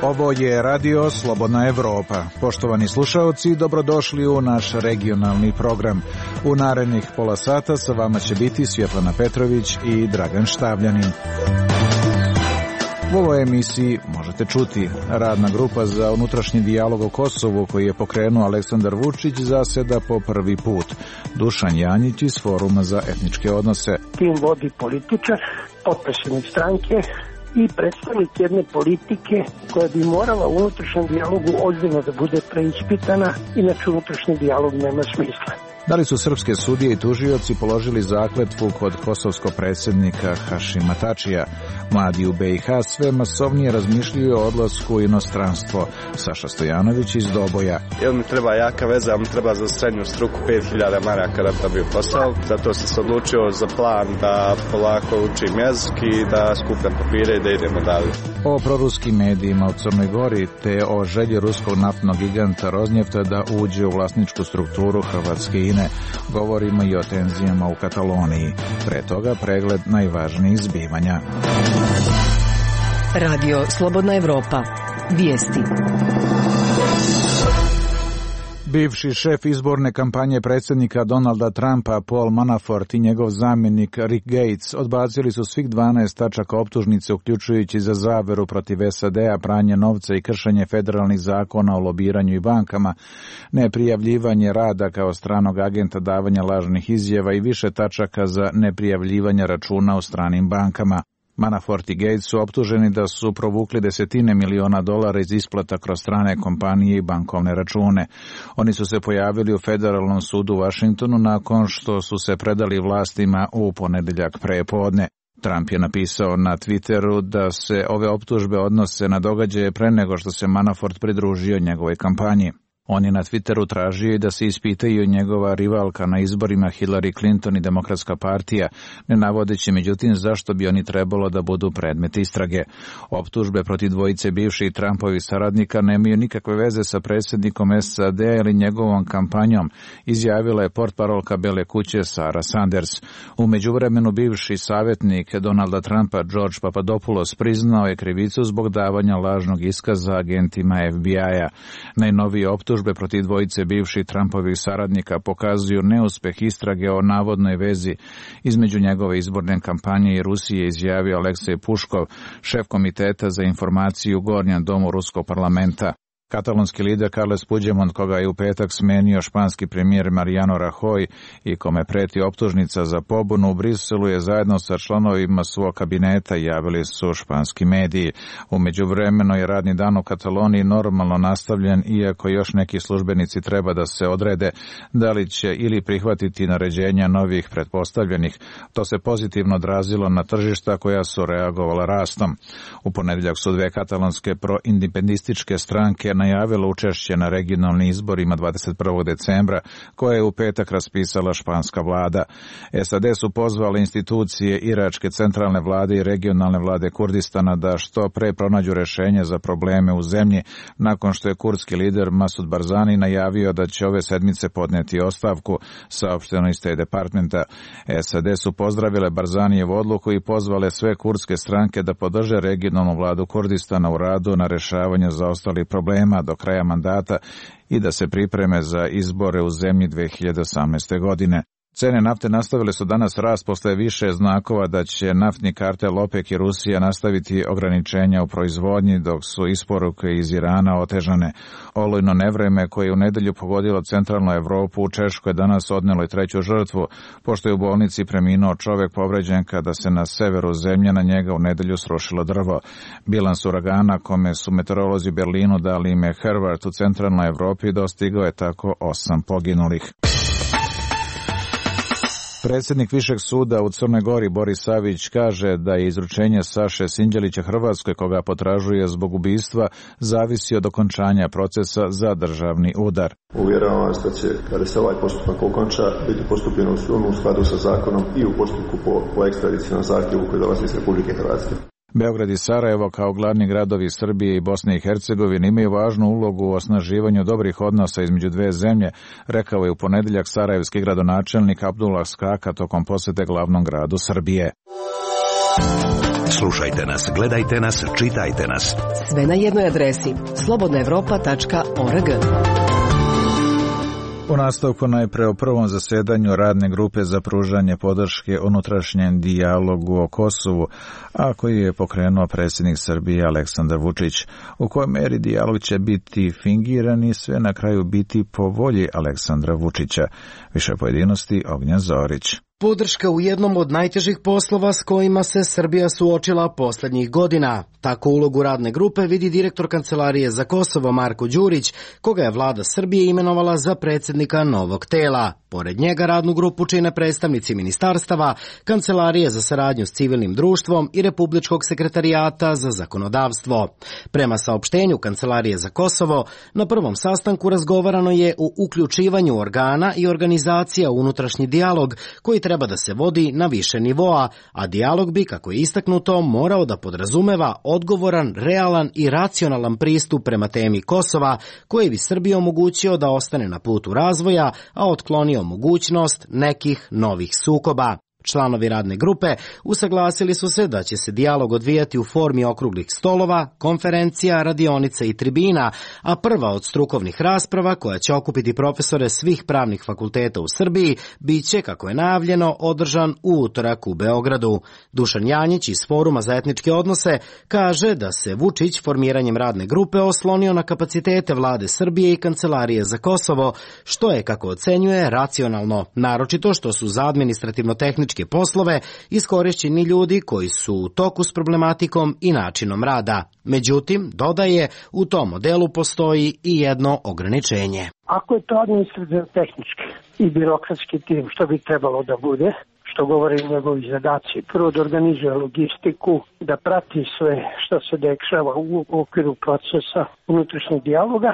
Ovo je Radio Slobodna Evropa. Poštovani slušaoci, dobrodošli u naš regionalni program. U narednih pola sata sa vama će biti Svjetlana Petrović i Dragan Štavljanin. U ovoj emisiji možete čuti: radna grupa za unutrašnji dijalog o Kosovu koji je pokrenuo Aleksandar Vučić zaseda po prvi put. Dušan Janjić iz Foruma za etničke odnose. Tim vodi političar, potpredsjednik stranke i predstavnik jedne politike koja bi morala u unutrašnjem dijalogu ozbiljno da bude preispitana, inače unutrašnji dijalog nema smisla. Da li su srpske sudije i tužioci položili zakletvu kod kosovskog predsjednika Hašima Tačija? Mladi u BiH sve masovnije razmišljaju o odlasku u inostranstvo. Saša Stojanović iz Doboja. Jel mi treba jaka veza, jel mi treba za srednju struku 5000 maraka da dobiju posao. Zato sam se odlučio za plan da polako učim jezik i da skupljam papire i da idemo dalje. O proruskim medijima u Crnoj Gori te o želji ruskog naftnog giganta Roznjefta da uđe u vlasničku strukturu Hrvatske INE. Govorimo i o tenzijama u Kataloniji. Pre toga pregled najvažnijih zbivanja. Radio Slobodna Evropa. Vijesti. Bivši šef izborne kampanje predsjednika Donalda Trumpa, Paul Manafort i njegov zamjenik Rick Gates odbacili su svih 12 tačaka optužnice, uključujući za zaveru protiv SAD-a, pranje novca i kršenje federalnih zakona o lobiranju i bankama, neprijavljivanje rada kao stranog agenta, davanja lažnih izjava i više tačaka za neprijavljivanje računa u stranim bankama. Manafort i Gates su optuženi da su provukli $10 miliona iz isplata kroz strane kompanije i bankovne račune. Oni su se pojavili u Federalnom sudu u Washingtonu nakon što su se predali vlastima u ponedjeljak prepodne. Trump je napisao na Twitteru da se ove optužbe odnose na događaje pre nego što se Manafort pridružio njegovoj kampanji. On je na Twitteru tražio i da se ispitaju njegova rivalka na izborima Hillary Clinton i Demokratska partija, ne navodeći međutim zašto bi oni trebalo da budu predmet istrage. Optužbe protiv dvojice bivših Trumpovih saradnika nemaju nikakve veze sa predsjednikom SAD ili njegovom kampanjom, izjavila je portparolka Bele kuće Sarah Sanders. U međuvremenu bivši savjetnik Donalda Trumpa George Papadopoulos priznao je krivicu zbog davanja lažnog iskaza agentima FBI-a. Najnoviji optužbe protiv dvojice bivših Trumpovih saradnika pokazuju neuspeh istrage o navodnoj vezi između njegove izborne kampanje i Rusije, izjavio Aleksej Puškov, šef komiteta za informaciju u Gornjem domu Ruskog parlamenta. Katalonski lider Carles Puigdemont, koga je u petak smenio španski premijer Mariano Rajoy i kome preti optužnica za pobunu u Briselu, je zajedno sa članovima svog kabineta, javili su španski mediji. U međuvremenu je radni dan u Kataloniji normalno nastavljen, iako još neki službenici treba da se odrede da li će ili prihvatiti naređenja novih pretpostavljenih. To se pozitivno odrazilo na tržišta koja su reagovala rastom. U ponedjeljak su dve katalonske proindependističke stranke najavilo učešće na regionalnim izborima 21. decembra, koje je u petak raspisala španska vlada. SAD su pozvale institucije iračke centralne vlade i regionalne vlade Kurdistana da što pre pronađu rješenje za probleme u zemlji, nakon što je kurdski lider Masud Barzani najavio da će ove sedmice podneti ostavku, saopšteno iz State Departmenta. SAD su pozdravile Barzanijevu odluku i pozvale sve kurdske stranke da podrže regionalnu vladu Kurdistana u radu na rješavanju zaostalih problema do kraja mandata i da se pripreme za izbore u zemlji 2018. godine. Cene nafte nastavile su danas rast posle više znakova da će naftni kartel OPEC i Rusija nastaviti ograničenja u proizvodnji, dok su isporuke iz Irana otežane. Olujno nevreme koje je u nedelju pogodilo centralnu Evropu, u Češkoj danas odnelo i treću žrtvu, pošto je u bolnici preminuo čovjek povređen kada se na severu zemlje na njega u nedelju srušilo drvo. Bilans uragana, kome su meteorolozi u Berlinu dali ime Hervart u centralnoj Evropi, dostigao je tako 8 poginulih. Predsjednik Višeg suda u Crnoj Gori Boris Savić kaže da je izručenje Saše Sinđelića Hrvatskoj, koga potražuje zbog ubistva, zavisi od okončanja procesa za državni udar. Uvjeravam vas da će, kada se ovaj postupak okonča, biti postupljeno u skladu sa zakonom i u postupku po ekstradicijalnom zahtjevu koji dolazi iz Republike Hrvatske. Beograd i Sarajevo kao glavni gradovi Srbije i Bosne i Hercegovine imaju važnu ulogu u osnaživanju dobrih odnosa između dve zemlje, rekao je u ponedeljak sarajevski gradonačelnik Abdullah Skaka tokom posete glavnom gradu Srbije. Slušajte nas, gledajte nas, čitajte nas. Sve na jednoj adresi slobodnaevropa.org. U nastavku najpre o prvom zasedanju radne grupe za pružanje podrške unutrašnjem dijalogu o Kosovu, a koji je pokrenuo predsjednik Srbije Aleksandar Vučić. U kojoj meri dijalog će biti fingiran i sve na kraju biti po volji Aleksandra Vučića. Više pojedinosti Ognjen Zorić. Podrška u jednom od najtežih poslova s kojima se Srbija suočila posljednjih godina. Tako ulogu radne grupe vidi direktor Kancelarije za Kosovo Marko Đurić, koga je vlada Srbije imenovala za predsjednika novog tela. Pored njega radnu grupu čine predstavnici ministarstava, Kancelarije za saradnju s civilnim društvom i Republičkog sekretarijata za zakonodavstvo. Prema saopštenju Kancelarije za Kosovo, na prvom sastanku razgovarano je o uključivanju organa i organizacija u unutrašnji dijalog koji treba da se vodi na više nivoa, a dijalog bi, kako je istaknuto, morao da podrazumeva odgovoran, realan i racionalan pristup prema temi Kosova, koji bi Srbiji omogućio da ostane na putu razvoja, a otklonio mogućnost nekih novih sukoba. Članovi radne grupe usaglasili su se da će se dijalog odvijati u formi okruglih stolova, konferencija, radionica i tribina, a prva od strukovnih rasprava, koja će okupiti profesore svih pravnih fakulteta u Srbiji, bit će, kako je najavljeno, održan u utorak u Beogradu. Dušan Janjić iz Foruma za etničke odnose kaže da se Vučić formiranjem radne grupe oslonio na kapacitete vlade Srbije i Kancelarije za Kosovo, što je, kako ocenjuje, racionalno, naročito što su za administrativno-tehničke poslove iskorišćeni ljudi koji su u toku s problematikom i načinom rada. Međutim, dodaje, u tom modelu postoji i jedno ograničenje. Ako je to administrativno-tehnički i birokratski tim, što bi trebalo da bude, što govore njegovi zadaci, prvo da organizuje logistiku, da prati sve što se dešava u okviru procesa unutrašnjeg dijaloga,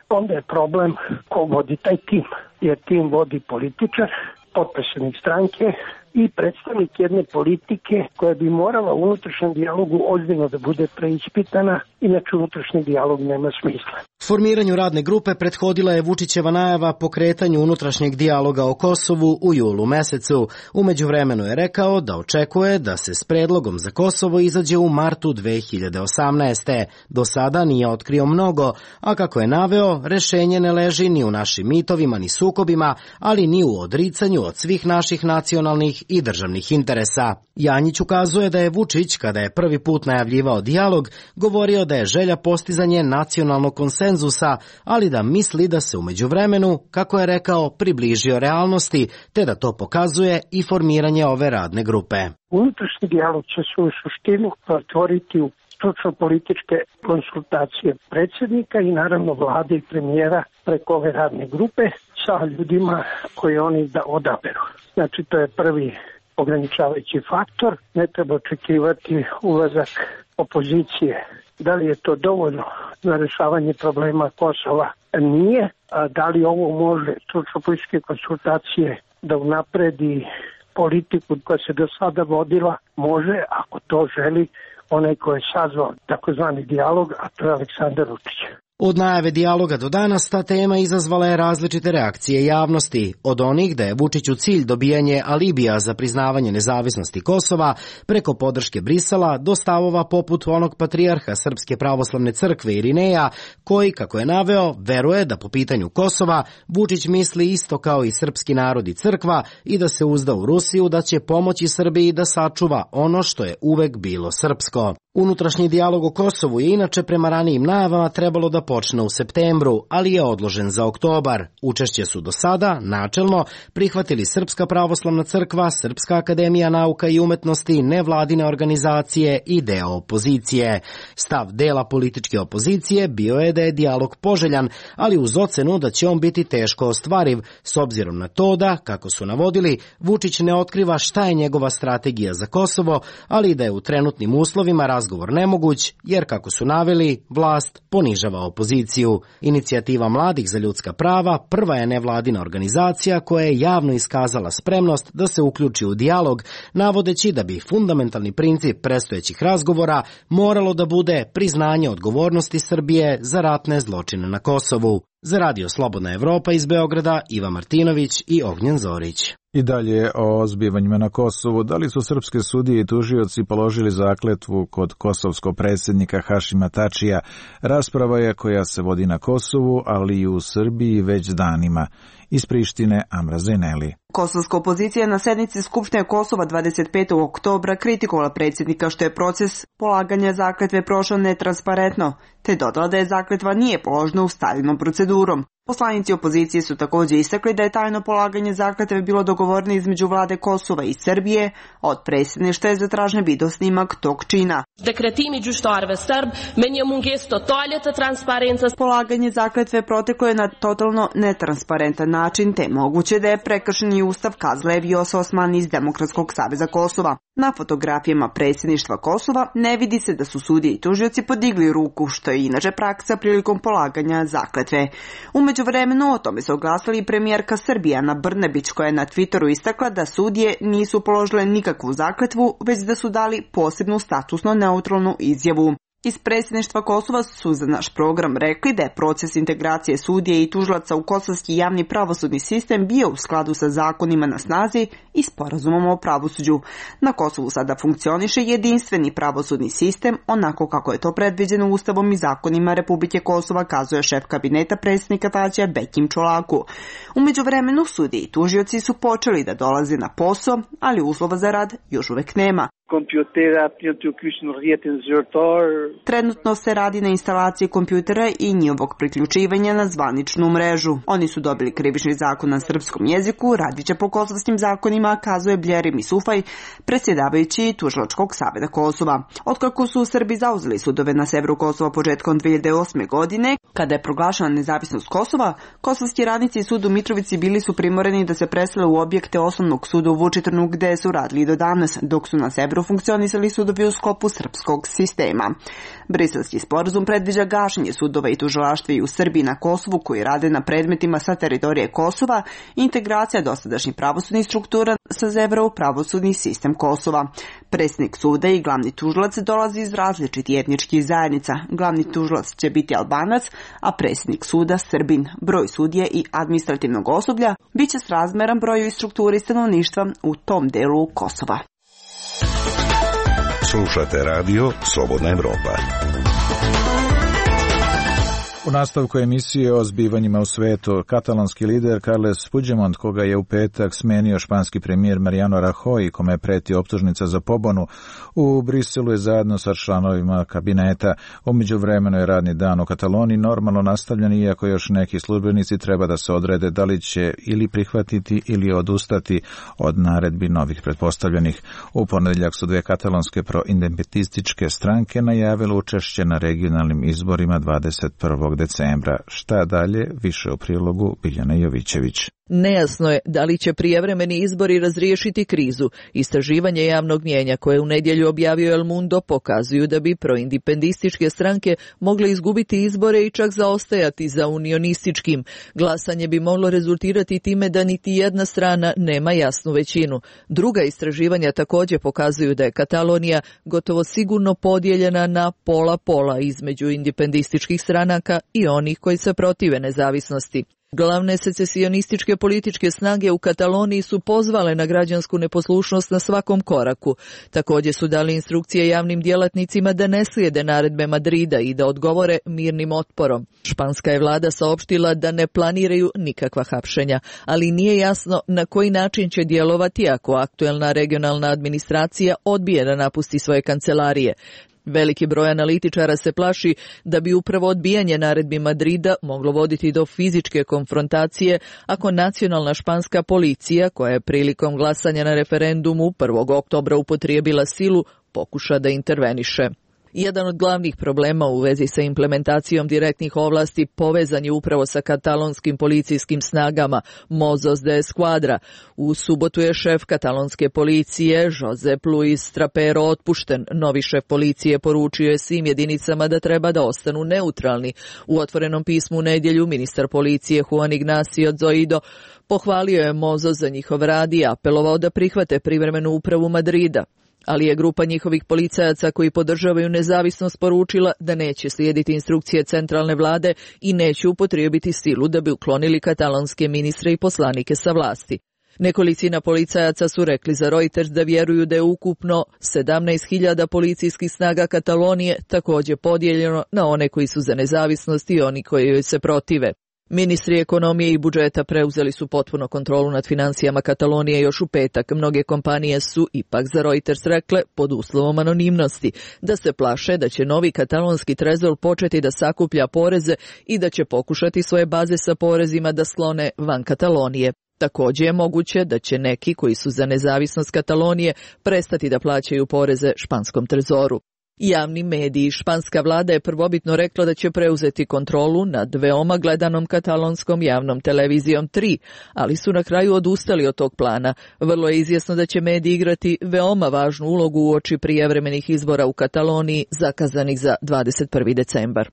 onda je problem ko vodi taj tim, jer tim vodi političar, potpredsjednik stranke i predstavnik jedne politike koja bi morala u unutrašnjem dijalogu ozbiljno da bude preispitana, inače unutrašnji dijalog nema smisla. Formiranju radne grupe prethodila je Vučićeva najava pokretanju unutrašnjeg dijaloga o Kosovu u julu mesecu. U međuvremenu je rekao da očekuje da se s predlogom za Kosovo izađe u martu 2018. Do sada nije otkrio mnogo, a kako je naveo, rešenje ne leži ni u našim mitovima ni sukobima, ali ni u odricanju od svih naših nacionalnih i državnih interesa. Janjić ukazuje da je Vučić, kada je prvi put najavljivao dijalog, govorio da je želja postizanje nacionalnog konsenzusa, ali da misli da se u međuvremenu, kako je rekao, približio realnosti, te da to pokazuje i formiranje ove radne grupe. Unutrašnji dijalog će se u suštinu otvoriti u stručno-političke konsultacije predsjednika i naravno vlade i premijera preko ove radne grupe sa ljudima koje oni da odaberu. Znači, to je prvi ograničavajući faktor. Ne treba očekivati ulazak opozicije. Da li je to dovoljno za rešavanje problema Kosova? Nije. A da li ovo može stručno-političke konsultacije da unapredi politiku koja se do sada vodila? Može, ako to želi onaj ko je sazvao takozvani dijalog, a to je Aleksandar Vučić. Od najave dijaloga do danas ta tema izazvala je različite reakcije javnosti, od onih da je Vučiću cilj dobijanje alibija za priznavanje nezavisnosti Kosova preko podrške Brisela do stavova poput onog patrijarha Srpske pravoslavne crkve Irineja, koji, kako je naveo, veruje da po pitanju Kosova Vučić misli isto kao i srpski narod i crkva i da se uzda u Rusiju da će pomoći Srbiji da sačuva ono što je uvek bilo srpsko. Unutrašnji dijalog o Kosovu je inače prema ranijim najavama trebalo da počne u septembru, ali je odložen za oktobar. Učešće su do sada, načelno, prihvatili Srpska pravoslavna crkva, Srpska akademija nauka i umetnosti, nevladine organizacije i deo opozicije. Stav dela političke opozicije bio je da je dijalog poželjan, ali uz ocenu da će on biti teško ostvariv, s obzirom na to da, kako su navodili, Vučić ne otkriva šta je njegova strategija za Kosovo, ali da je u trenutnim uslovima razvoja razgovor nemoguć, jer kako su naveli, vlast ponižava opoziciju. Inicijativa Mladih za ljudska prava prva je nevladina organizacija koja je javno iskazala spremnost da se uključi u dijalog, navodeći da bi fundamentalni princip predstojećih razgovora moralo da bude priznanje odgovornosti Srbije za ratne zločine na Kosovu. Za Radio Slobodna Evropa iz Beograda, Iva Martinović i Ognjen Zorić. I dalje o zbivanjima na Kosovu. Da li su srpske sudije i tužioci položili zakletvu kod kosovskog predsjednika Hašima Tačija? Rasprava je koja se vodi na Kosovu, ali i u Srbiji već danima. Iz Prištine, Amra Zeneli. Kosovska opozicija na sednici Skupštine Kosova 25. oktobra kritikovala predsjednika što je proces polaganja zakletve prošao netransparentno, te dodala da je zakletva nije položena ustaljenom procedurom. Poslanici opozicije su također istakli da je tajno polaganje zakletve bilo dogovoreno između vlade Kosova i Srbije, a od predsjedništva je zatražen video snimak tog čina. Polaganje zakletve proteklo je na totalno netransparentan način, te moguće da je prekršen i ustav, kazala je Vjosa Osmani iz Demokratskog saveza Kosova. Na fotografijama predsjedništva Kosova ne vidi se da su sudije i tužioci podigli ruku, što je inače praksa prilikom polaganja zakletve. U međuvremenu o tome se oglasila i premijerka Srbije Ana Brnabić, koja je na Twitteru istakla da sudije nisu položile nikakvu zakletvu, već da su dali posebnu statusno neutralnu izjavu. Iz predsjedništva Kosova su za naš program rekli da je proces integracije sudije i tužilaca u kosovski javni pravosudni sistem bio u skladu sa zakonima na snazi i sporazumom o pravosuđu. Na Kosovu sada funkcioniše jedinstveni pravosudni sistem, onako kako je to predviđeno Ustavom i zakonima Republike Kosova, kazuje šef kabineta predsjednika Tačija Bekim Čolaku. U međuvremenu sudije i tužioci su počeli da dolaze na posao, ali uslova za rad još uvek nema. Trenutno se radi na instalaciji kompjutera i njihovog priključivanja na zvaničnu mrežu. Oni su dobili krivični zakon na srpskom jeziku, radit će po kosovskim zakonima, kazuje Bljerim Isufaj, predsjedavajući Tužilačkog saveza Kosova. Otkako su Srbi zauzeli sudove na severu Kosova početkom 2008. godine, kada je proglašena nezavisnost Kosova, kosovski radnici i sud u Mitrovici bili su primoreni da se presele u objekte osnovnog suda u Vučitrnu, gde su radili do danas, dok su na severu funkcionisali sudovi u sklopu srpskog sistema. Briselski sporazum predviđa gašenje sudova i tužilaštva i u Srbiji i na Kosovu koji rade na predmetima sa teritorije Kosova i integracija dosadašnjih pravosudnih struktura sa severa u pravosudni sistem Kosova. Predsjednik suda i glavni tužilac dolazi iz različitih etničkih zajednica. Glavni tužilac će biti Albanac, a predsjednik suda Srbin. Broj sudije i administrativnog osoblja biće srazmeran broju i strukturi stanovništva u tom delu Kosova. Slušate radio Slobodna Evropa. U nastavku emisije o zbivanjima u svetu, katalonski lider Carles Puigdemont, koga je u petak smenio španski premijer Mariano Rajoy, kome je pretio optužnica za pobunu, u Briselu je zajedno sa članovima kabineta. U međuvremenu je radni dan u Kataloniji normalno nastavljen, iako još neki službenici treba da se odrede da li će ili prihvatiti ili odustati od naredbi novih pretpostavljenih. U ponedjeljak su dve katalonske proindependentističke stranke najavile učešće na regionalnim izborima 21. decembra. Šta dalje? Više u prilogu Biljana Jovićević. Nejasno je da li će prijevremeni izbori razriješiti krizu. Istraživanje javnog mnijenja koje u nedjelju objavio El Mundo pokazuju da bi proindependističke stranke mogle izgubiti izbore i čak zaostajati za unionističkim. Glasanje bi moglo rezultirati time da niti jedna strana nema jasnu većinu. Druga istraživanja također pokazuju da je Katalonija gotovo sigurno podijeljena na pola-pola između independističkih stranaka i onih koji se protive nezavisnosti. Glavne secesionističke političke snage u Kataloniji su pozvale na građansku neposlušnost na svakom koraku. Također su dali instrukcije javnim djelatnicima da ne slijede naredbe Madrida i da odgovore mirnim otporom. Španska je vlada saopštila da ne planiraju nikakva hapšenja, ali nije jasno na koji način će djelovati ako aktuelna regionalna administracija odbije da napusti svoje kancelarije. Veliki broj analitičara se plaši da bi upravo odbijanje naredbi Madrida moglo voditi do fizičke konfrontacije ako nacionalna španska policija, koja je prilikom glasanja na referendumu 1. oktobra upotrijebila silu, pokuša da interveniše. Jedan od glavnih problema u vezi sa implementacijom direktnih ovlasti povezan je upravo sa katalonskim policijskim snagama Mossos de Esquadra. U subotu je šef katalonske policije Josep Luis Trapero otpušten. Novi šef policije poručio je svim jedinicama da treba da ostanu neutralni. U otvorenom pismu u nedjelju ministar policije Juan Ignacio Zoido pohvalio je Mossos za njihov rad i apelovao da prihvate privremenu upravu Madrida. Ali je grupa njihovih policajaca koji podržavaju nezavisnost poručila da neće slijediti instrukcije centralne vlade i neće upotrijebiti silu da bi uklonili katalonske ministre i poslanike sa vlasti. Nekolicina policajaca su rekli za Reuters da vjeruju da je ukupno 17.000 policijskih snaga Katalonije također podijeljeno na one koji su za nezavisnost i oni koji joj se protive. Ministri ekonomije i budžeta preuzeli su potpuno kontrolu nad financijama Katalonije još u petak. Mnoge kompanije su ipak za Reuters rekle, pod uslovom anonimnosti, da se plaše da će novi katalonski trezor početi da sakuplja poreze i da će pokušati svoje baze sa porezima da sklone van Katalonije. Također je moguće da će neki koji su za nezavisnost Katalonije prestati da plaćaju poreze španskom trezoru. Javni mediji. Španska vlada je prvobitno rekla da će preuzeti kontrolu nad veoma gledanom katalonskom javnom televizijom 3, ali su na kraju odustali od tog plana. Vrlo je izvjesno da će mediji igrati veoma važnu ulogu uoči prijevremenih izbora u Kataloniji zakazanih za 21. decembar.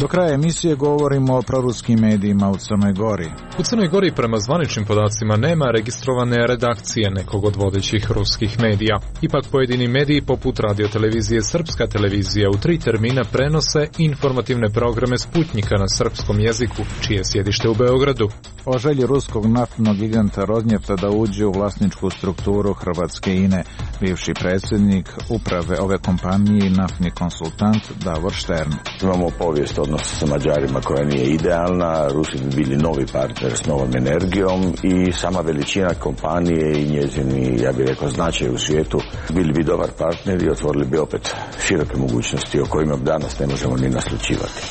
Do kraja emisije govorimo o proruskim medijima u Crnoj Gori. U Crnoj Gori prema zvaničnim podacima nema registrovane redakcije nekog od vodećih ruskih medija. Ipak pojedini mediji poput radiotelevizije Srpska televizija u 3 termina prenose informativne programe Sputnjika na srpskom jeziku, čije je sjedište u Beogradu. O želji ruskog naftnog giganta Rosnjefta da uđe u vlasničku strukturu hrvatske INE, bivši predsjednik uprave ove kompanije i naftni konsultant Davor Štern. Imamo povijest odnosa sa Mađarima koja nije idealna, Rusi bi bili novi partner s novom energijom i sama veličina kompanije i njezini, ja bih rekao, značaj u svijetu bili bi dobar partner i otvorili bi opet široke mogućnosti o kojima danas ne možemo ni naslućivati.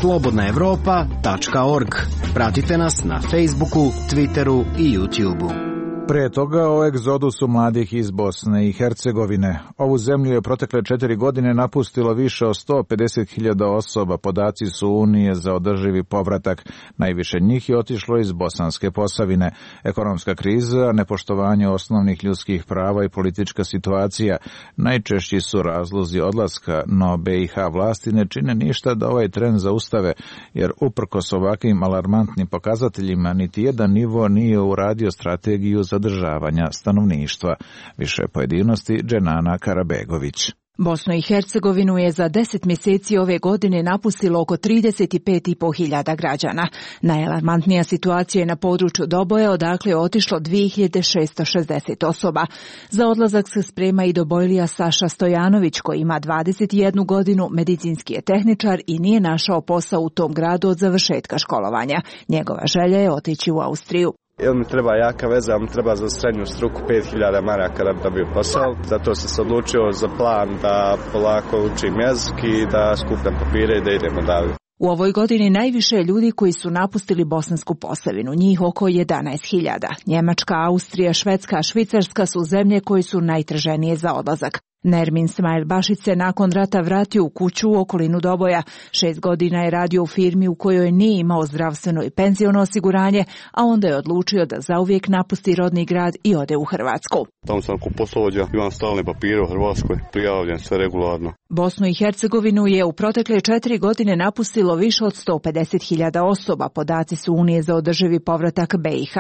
Slobodnaevropa.org. Pratite nas na Facebooku, Twitteru i YouTubeu. Prije toga o egzodusu mladih iz Bosne i Hercegovine. Ovu zemlju je protekle 4 godine napustilo više od 150.000 osoba, podaci su Unije za održivi povratak. Najviše njih je otišlo iz Bosanske Posavine. Ekonomska kriza, nepoštovanje osnovnih ljudskih prava i politička situacija najčešći su razlozi odlaska, no BiH vlasti ne čine ništa da ovaj trend zaustave, jer uprkos ovakvim alarmantnim pokazateljima niti jedan nivo nije uradio strategiju zadržavanja stanovništva. Više pojedinosti Dženana Karabegović. Bosnu i Hercegovinu je za 10 mjeseci ove godine napustilo oko 35.500 građana. Najalarmantnija situacija je na području Doboja, odakle je otišlo 2660 osoba. Za odlazak se sprema i Dobojlija Saša Stojanović, koji ima 21 godinu, medicinski je tehničar i nije našao posao u tom gradu od završetka školovanja. Njegova želja je otići u Austriju. Ili mi treba jaka veza, mi treba za srednju struku 5.000 maraka da bi dobio posao. Zato sam se odlučio za plan da polako učim jezik i da skupljam papire i da idemo dalje. U ovoj godini najviše je ljudi koji su napustili Bosansku Posavinu, njih oko 11.000. Njemačka, Austrija, Švedska, Švicarska su zemlje koje su najtraženije za odlazak. Nermin Smajl Bašić se nakon rata vratio u kuću u okolinu Doboja. 6 godina je radio u firmi u kojoj nije imao zdravstveno i penziono osiguranje, a onda je odlučio da zauvijek napusti rodni grad i ode u Hrvatsku. Tamo sam ko poslovođa, imam stalne papire u Hrvatskoj, prijavljen sve regularno. Bosnu i Hercegovinu je u protekle 4 godine napustilo više od 150.000 osoba, podaci su Unije za održivi povratak BiH.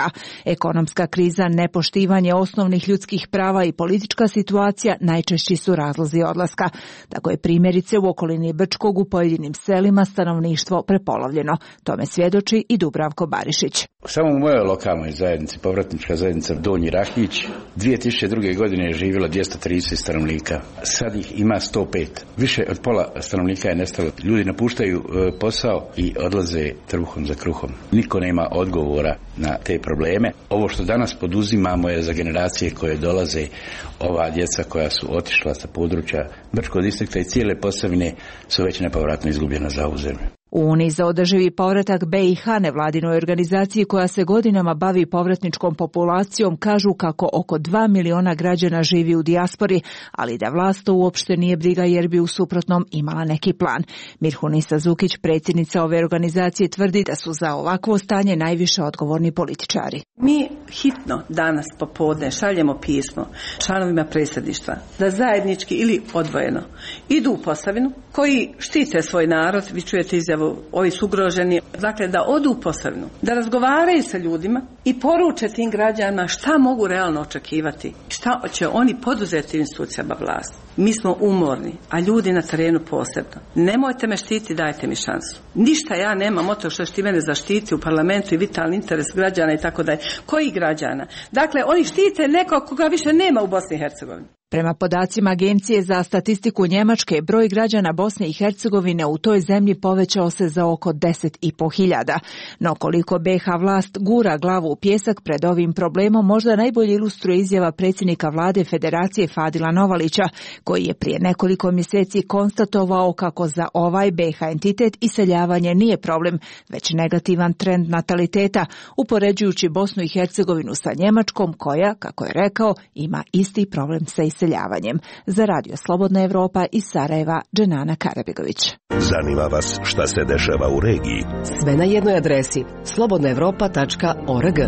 Ekonomska kriza, nepoštivanje osnovnih ljudskih prava i politička situacija najčešći su razlozi odlaska. Tako je primjerice u okolini Brčkog u pojedinim selima stanovništvo prepolovljeno. Tome svjedoči i Dubravko Barišić. Samo u mojoj lokalnoj zajednici, povratnička zajednica Donji Rahnić, 2002. godine je živjelo 230 stanovnika. Sad ih ima 105. Više od pola stanovnika je nestalo. Ljudi napuštaju posao i odlaze trbuhom za kruhom. Niko nema odgovora na te probleme. Ovo što danas poduzimamo je za generacije koje dolaze, ova djeca koja su otišla sa područja Brčkog distrikta i cijele Posavine su već nepovratno izgubljena za ovu zemlju. U Uniji za održivi povratak BiH, nevladinoj organizaciji koja se godinama bavi povratničkom populacijom, kažu kako oko 2 miliona građana živi u dijaspori, ali da vlast to uopšte nije briga jer bi u suprotnom imala neki plan. Mirhunisa Zukić, predsjednica ove organizacije, tvrdi da su za ovakvo stanje najviše odgovorni političari. Mi hitno danas popodne šaljemo pismo članovima predsjedništva da zajednički ili odvojeno idu u Posavinu koji štite svoj narod, vi čujete izjavu, ovi su ugroženi, dakle da odu u Posavinu, da razgovaraju sa ljudima i poruče tim građanima šta mogu realno očekivati, šta će oni poduzeti institucijama vlasti. Mi smo umorni, a ljudi na terenu posebno. Nemojte me štiti, dajte mi šansu. Ništa ja nemam od toga što ti mene zaštiti u parlamentu i vitalni interes građana i tako dalje. Koji građana? Dakle, oni štite nekog koga više nema u Bosni i Hercegovini. Prema podacima Agencije za statistiku Njemačke, broj građana Bosne i Hercegovine u toj zemlji povećao se za oko 10.500. No koliko BiH vlast gura glavu u pijesak pred ovim problemom, možda najbolje ilustruje izjava predsjednika vlade Federacije Fadila Novalića, koji je prije nekoliko mjeseci konstatovao kako za ovaj BiH entitet iseljavanje nije problem, već negativan trend nataliteta, upoređujući Bosnu i Hercegovinu sa Njemačkom, koja, kako je rekao, ima isti problem sa iseljavanjem. Za Radio Slobodna Evropa iz Sarajeva, Dženana Karabegović. Zanima vas šta se dešava u regiji? Sve na jednoj adresi slobodnaevropa.org.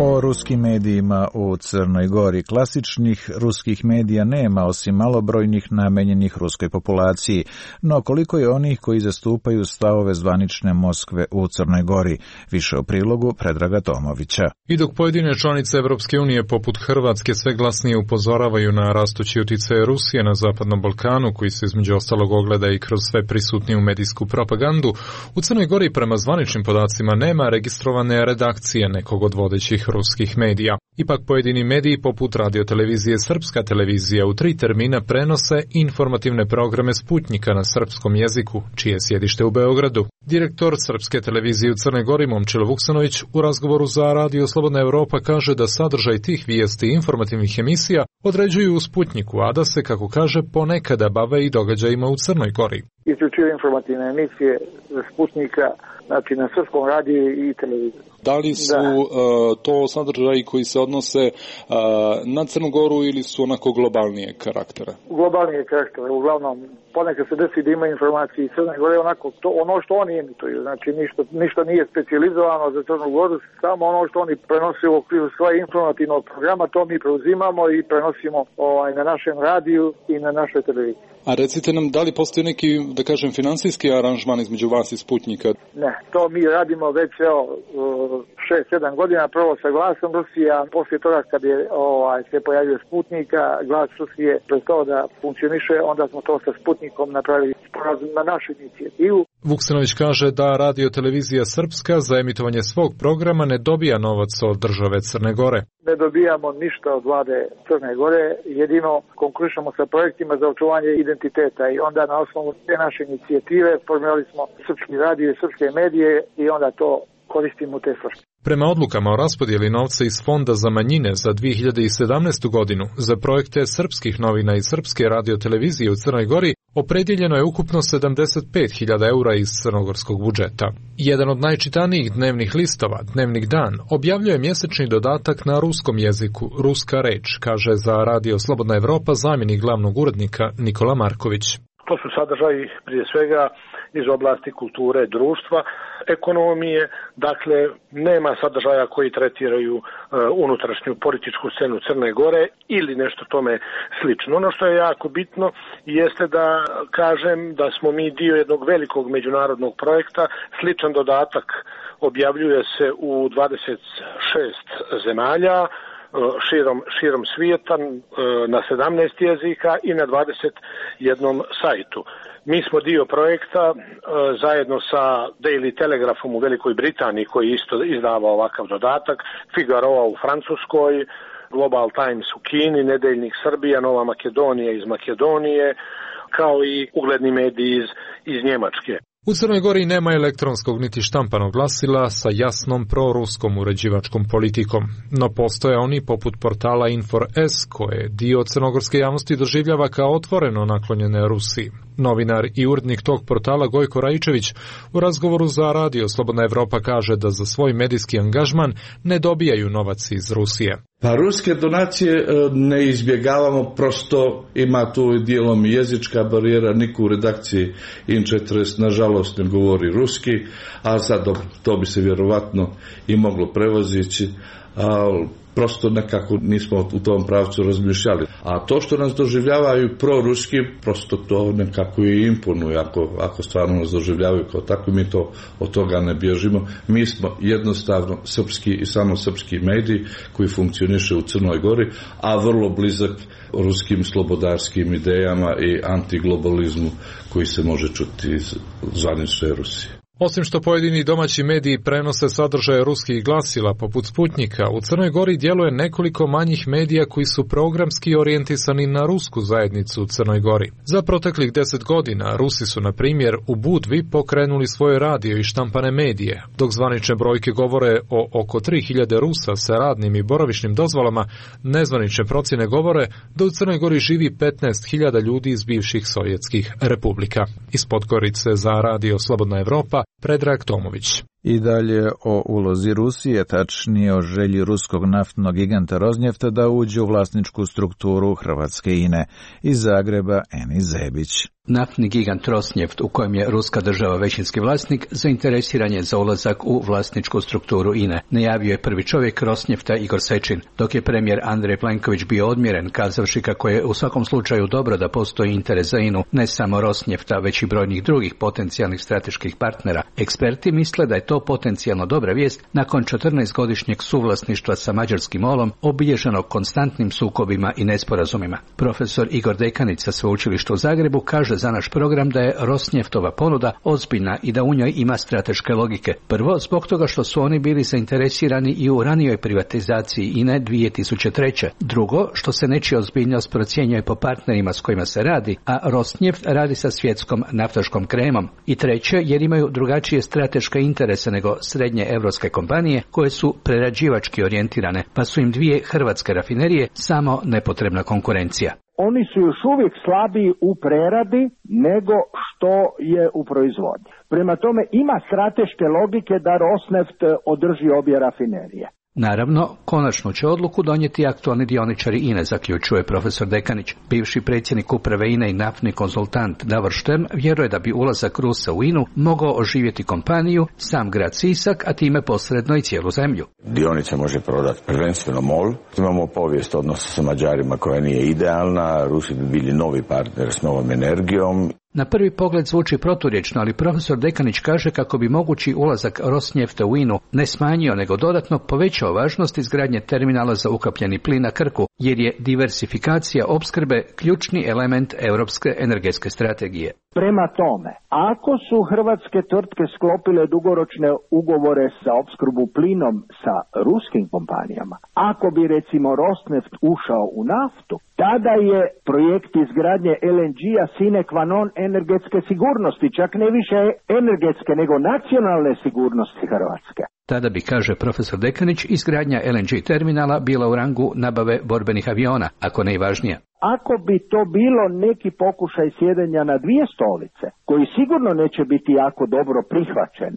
O ruskim medijima u Crnoj Gori. Klasičnih ruskih medija nema, osim malobrojnih namenjenih ruskoj populaciji, no koliko je onih koji zastupaju stavove zvanične Moskve u Crnoj Gori? Više u prilogu Predraga Tomovića. I dok pojedine članice Evropske unije poput Hrvatske sve glasnije upozoravaju na rastući utjecaj Rusije na Zapadnom Balkanu, koji se između ostalog ogleda i kroz sve prisutniju medijsku propagandu, u Crnoj Gori prema zvaničnim podacima nema registrovane redakcije nekog od vodećih ruskih medija. Ipak pojedini mediji poput radiotelevizije Srpska televizija u 3 termina prenose informativne programe Sputnjika na srpskom jeziku, čije sjedište u Beogradu. Direktor Srpske televizije u Crnoj Gori Momčilo Vuksanović u razgovoru za Radio Slobodna Evropa kaže da sadržaj tih vijesti i informativnih emisija određuju u Sputnjiku, a da se, kako kaže, ponekada bave i događajima u Crnoj Gori. Isključivo informativne emisije Sputnjika, znači na srpskom radiju i televiziji. Da li su to sadržaji koji se odnose na Crnu Goru ili su onako globalnije karaktera? Globalnije karaktera, uglavnom ponekad se desi da ima informacije iz Crne Gore, onako ono što oni emituju, znači ništa nije specijalizovano za Crnu Goru, samo ono što oni prenose u okviru svoje informativnog programa, to mi preuzimamo i prenosimo na našem radiju i na našoj televiziji. A recite nam, da li postoji neki, da kažem, finansijski aranžman između vas i Sputnjika? Ne, to mi radimo već 6-7 godina, prvo sa glasom Rusije, a poslije toga kad je se pojavio Sputnjika, glas Rusije prestao da funkcioniše, onda smo to sa Sputnikom napravili sporazum na našu inicijativu. Vuksanović kaže da radiotelevizija Srpska za emitovanje svog programa ne dobija novac od države Crne Gore. Ne dobijamo ništa od vlade Crne Gore, jedino konkurišemo sa projektima za očuvanje identiteta i onda na osnovu te naše inicijative formirali smo srpski radio i srpske medije i onda to koristimo u te svrhe. Prema odlukama o raspodjeli novca iz Fonda za manjine za 2017. godinu za projekte srpskih novina i srpske radiotelevizije u Crnoj Gori opredjeljeno je ukupno 75.000 eura iz crnogorskog budžeta. Jedan od najčitanijih dnevnih listova, Dnevnik Dan, objavljuje mjesečni dodatak na ruskom jeziku, Ruska reč, kaže za Radio Slobodna Evropa zamjenik glavnog urednika Nikola Marković. To su sadržaji prije svega iz oblasti kulture, društva, ekonomije, dakle nema sadržaja koji tretiraju unutrašnju političku scenu Crne Gore ili nešto tome slično. Ono što je jako bitno jeste da kažem da smo mi dio jednog velikog međunarodnog projekta, sličan dodatak objavljuje se u 26 zemalja, širom svijeta, na 17 jezika i na 21 sajtu. Mi smo dio projekta zajedno sa Daily Telegraphom u Velikoj Britaniji koji isto izdava ovakav dodatak, Figaro u Francuskoj, Global Times u Kini, Nedeljnik Srbija, Nova Makedonija iz Makedonije, kao i ugledni mediji iz Njemačke. U Crnoj Gori nema elektronskog niti štampanog glasila sa jasnom proruskom uređivačkom politikom, no postoje oni poput portala Infor.s koje dio crnogorske javnosti doživljava kao otvoreno naklonjene Rusiji. Novinar i urednik tog portala Gojko Raičević u razgovoru za Radio Slobodna Evropa kaže da za svoj medijski angažman ne dobijaju novac iz Rusije. Pa ruske donacije ne izbjegavamo, prosto ima tu dijelom jezička barijera, niko u redakciji In40 nažalost ne govori ruski, a sad to bi se vjerovatno i moglo prevozići, ali prosto nekako nismo u tom pravcu razmišljali. A to što nas doživljavaju proruski, prosto to nekako i imponuje, ako stvarno nas doživljavaju kao tako, mi to od toga ne bježimo. Mi smo jednostavno srpski i samo srpski mediji koji funkcioniše u Crnoj Gori, a vrlo blizak ruskim slobodarskim idejama i antiglobalizmu koji se može čuti iz zvanične Rusije. Osim što pojedini domaći mediji prenose sadržaje ruskih glasila poput Sputnika, u Crnoj Gori djeluje nekoliko manjih medija koji su programski orijentisani na rusku zajednicu u Crnoj Gori. Za proteklih 10 godina Rusi su, na primjer, u Budvi pokrenuli svoje radio i štampane medije, dok zvanične brojke govore o oko 3000 Rusa sa radnim i boravišnim dozvolama, nezvanične procjene govore da u Crnoj Gori živi 15.000 ljudi iz bivših sovjetskih republika. Iz Podgorice za Radio Slobodna Evropa, Predrag Tomović. I dalje o ulozi Rusije, tačnije o želji ruskog naftnog giganta Rosnefta da uđe u vlasničku strukturu hrvatske INE. Iz Zagreba Enis Zebić. Naftni gigant Rosneft, u kojem je ruska država većinski vlasnik, zainteresiran je za ulazak u vlasničku strukturu INE. Najavio je prvi čovjek Rosnefta Igor Sečin, dok je premijer Andrej Plenković bio odmjeren, kazavši kako je u svakom slučaju dobro da postoji interes za INU, ne samo Rosnefta, već i brojnih drugih potencijalnih strateških partnera. Eksperti misle da je to potencijalno dobra vijest nakon 14-godišnjeg suvlasništva sa mađarskim MOL-om, obilježenog konstantnim sukobima i nesporazumima. Profesor Igor Dekanić sa Sveučilišta u Zagrebu kaže za naš program da je Rosneftova ponuda ozbiljna i da u njoj ima strateške logike. Prvo, zbog toga što su oni bili zainteresirani i u ranijoj privatizaciji INE 2003. Drugo, što se nečija ozbiljnost procjenjuje po partnerima s kojima se radi, a Rosneft radi sa svjetskom naftaškom kremom. I treće, jer imaju drugačije strateške interese nego srednje evropske kompanije koje su prerađivački orijentirane, pa su im dvije hrvatske rafinerije samo nepotrebna konkurencija. Oni su još uvijek slabiji u preradi nego što je u proizvodnji. Prema tome ima strateške logike da Rosneft održi obje rafinerije. Naravno, konačnu će odluku donijeti aktualni dioničari INE, zaključuje profesor Dekanić. Bivši predsjednik uprave INE i naftni konzultant Davor Štem vjeruje da bi ulazak Rusa u INU mogao oživjeti kompaniju, sam grad Sisak, a time posredno i cijelu zemlju. Dionice može prodati prvenstveno MOL. Imamo povijest odnosa sa Mađarima koja nije idealna. Rusi bi bili novi partner s novom energijom. Na prvi pogled zvuči proturječno, ali profesor Dekanić kaže kako bi mogući ulazak Rosnefta u INU ne smanjio nego dodatno povećao važnost izgradnje terminala za ukapljeni plin na Krku, jer je diversifikacija opskrbe ključni element europske energetske strategije. Prema tome, ako su hrvatske tvrtke sklopile dugoročne ugovore za opskrbu plinom sa ruskim kompanijama, ako bi recimo Rosneft ušao u naftu, tada je projekt izgradnje LNG-a sine qua non energetske sigurnosti, čak ne više energetske nego nacionalne sigurnosti Hrvatske. Tada bi, kaže profesor Dekanić, izgradnja LNG terminala bila u rangu nabave borbenih aviona, ako ne i važnija. Ako bi to bilo neki pokušaj sjedenja na dvije stolice, koji sigurno neće biti jako dobro prihvaćen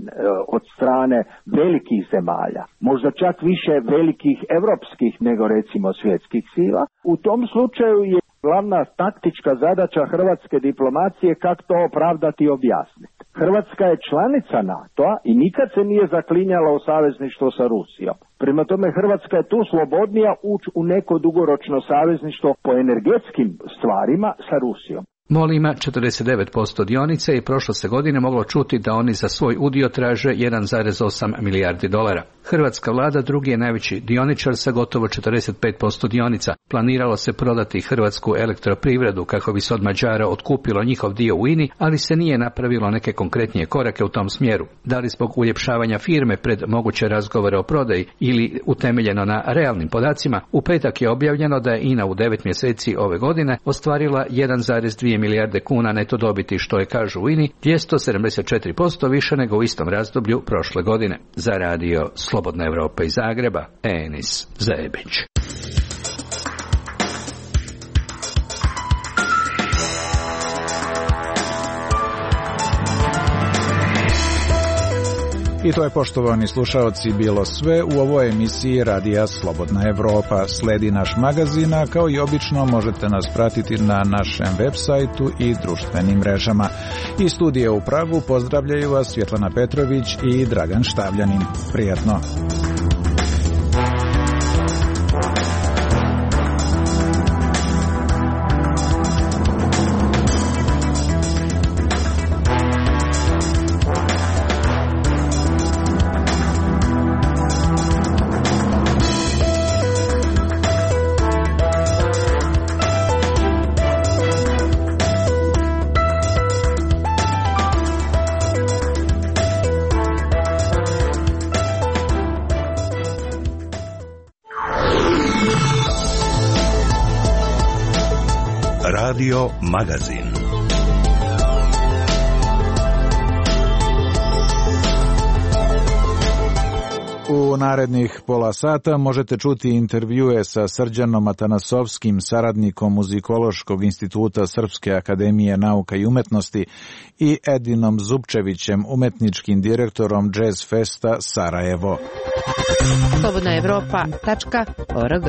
od strane velikih zemalja, možda čak više velikih europskih nego recimo svjetskih sila, u tom slučaju je glavna taktička zadaća hrvatske diplomacije kako to opravdati i objasniti. Hrvatska je članica NATO-a i nikad se nije zaklinjala u savezništvo sa Rusijom. Prema tome Hrvatska je tu slobodnija ući u neko dugoročno savezništvo po energetskim stvarima sa Rusijom. MOL ima 49% dionice i prošle se godine moglo čuti da oni za svoj udio traže 1,8 milijardi dolara. Hrvatska vlada drugi je najveći dioničar sa gotovo 45% dionica. Planiralo se prodati Hrvatsku elektroprivredu kako bi se od Mađara otkupilo njihov dio u INI, ali se nije napravilo neke konkretnije korake u tom smjeru. Da li zbog uljepšavanja firme pred moguće razgovore o prodaji ili utemeljeno na realnim podacima, u petak je objavljeno da je INA u 9 mjeseci ove godine ostvarila 1,2 milijarde kuna neto dobiti, što je, kažu u INI, 274% više nego u istom razdoblju prošle godine. Za Radio Slobodna Evropa iz Zagreba, Enis Zebić. I to je, poštovani slušaoci, bilo sve u ovoj emisiji Radija Slobodna Evropa. Sledi naš magazin, a kao i obično možete nas pratiti na našem web sajtu i društvenim mrežama. Iz studija u Pragu pozdravljaju vas Svjetlana Petrović i Dragan Štavljanin. Prijatno! Radio Magazin. U narednih pola sata možete čuti intervjue sa Srđanom Atanasovskim, saradnikom Muzikološkog instituta Srpske akademije nauka i umetnosti, i Edinom Zupčevićem, umetničkim direktorom Jazz Festa Sarajevo. Slobodnaevropa.org.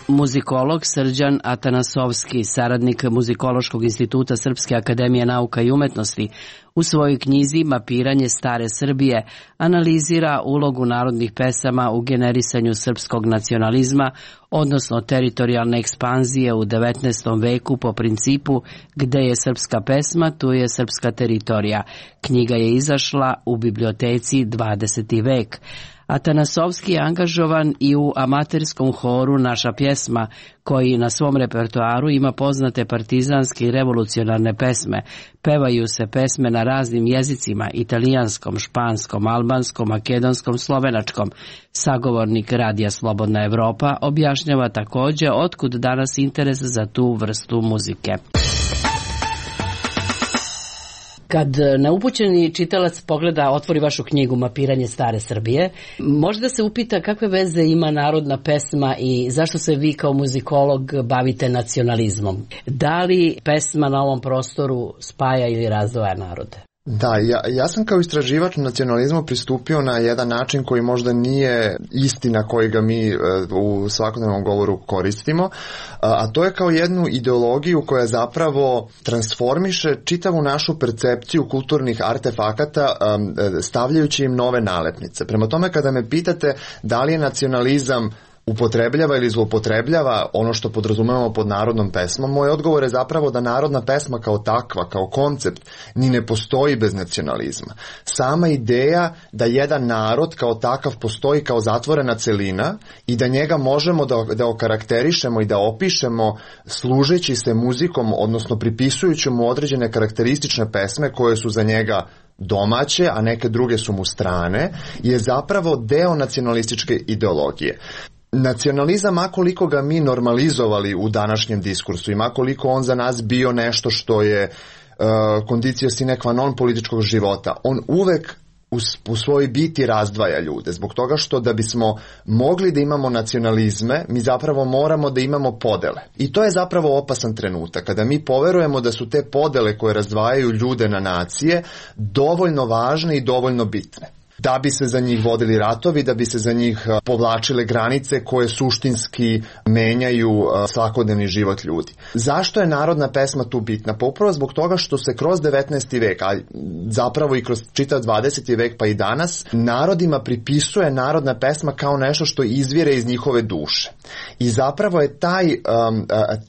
Muzikolog Srđan Atanasovski, saradnik Muzikološkog instituta Srpske akademije nauka i umetnosti, u svojoj knjizi Mapiranje stare Srbije analizira ulogu narodnih pesama u generisanju srpskog nacionalizma, odnosno teritorijalne ekspanzije u 19. veku po principu gde je srpska pesma, tu je srpska teritorija. Knjiga je izašla u biblioteci 20. vek. Atanasovski je angažovan i u amaterskom horu Naša pjesma, koji na svom repertoaru ima poznate partizanske i revolucionarne pesme. Pevaju se pesme na raznim jezicima: italijanskom, španskom, albanskom, makedonskom, slovenačkom. Sagovornik Radija Slobodna Evropa objašnjava također otkud danas interes za tu vrstu muzike. Kad neupućeni čitalac pogleda, otvori vašu knjigu Mapiranje stare Srbije, može da se upita kakve veze ima narodna pesma i zašto se vi kao muzikolog bavite nacionalizmom. Da li pesma na ovom prostoru spaja ili razdvaja narode? Da, ja sam kao istraživač nacionalizmu pristupio na jedan način koji možda nije istina koji ga mi u svakodnevnom govoru koristimo, a to je kao jednu ideologiju koja zapravo transformiše čitavu našu percepciju kulturnih artefakata stavljajući im nove nalepnice. Prema tome, kada me pitate da li je nacionalizam upotrebljava ili zloupotrebljava ono što podrazumevamo pod narodnom pesmom, moj odgovor je zapravo da narodna pesma kao takva, kao koncept, ni ne postoji bez nacionalizma. Sama ideja da jedan narod kao takav postoji kao zatvorena celina i da njega možemo da okarakterišemo i da opišemo služeći se muzikom, odnosno pripisujući mu određene karakteristične pesme koje su za njega domaće, a neke druge su mu strane, je zapravo deo nacionalističke ideologije. Nacionalizam, makoliko ga mi normalizovali u današnjem diskursu i makoliko on za nas bio nešto što je condicio sine qua non političkog života, on uvek u svojoj biti razdvaja ljude, zbog toga što da bismo mogli da imamo nacionalizme, mi zapravo moramo da imamo podele. I to je zapravo opasan trenutak, kada mi poverujemo da su te podele koje razdvajaju ljude na nacije dovoljno važne i dovoljno bitne, da bi se za njih vodili ratovi, da bi se za njih povlačile granice koje suštinski menjaju svakodnevni život ljudi. Zašto je narodna pesma tu bitna? Pa upravo zbog toga što se kroz 19. vek, a zapravo i kroz čitav 20. vek pa i danas, narodima pripisuje narodna pesma kao nešto što izvire iz njihove duše. I zapravo je taj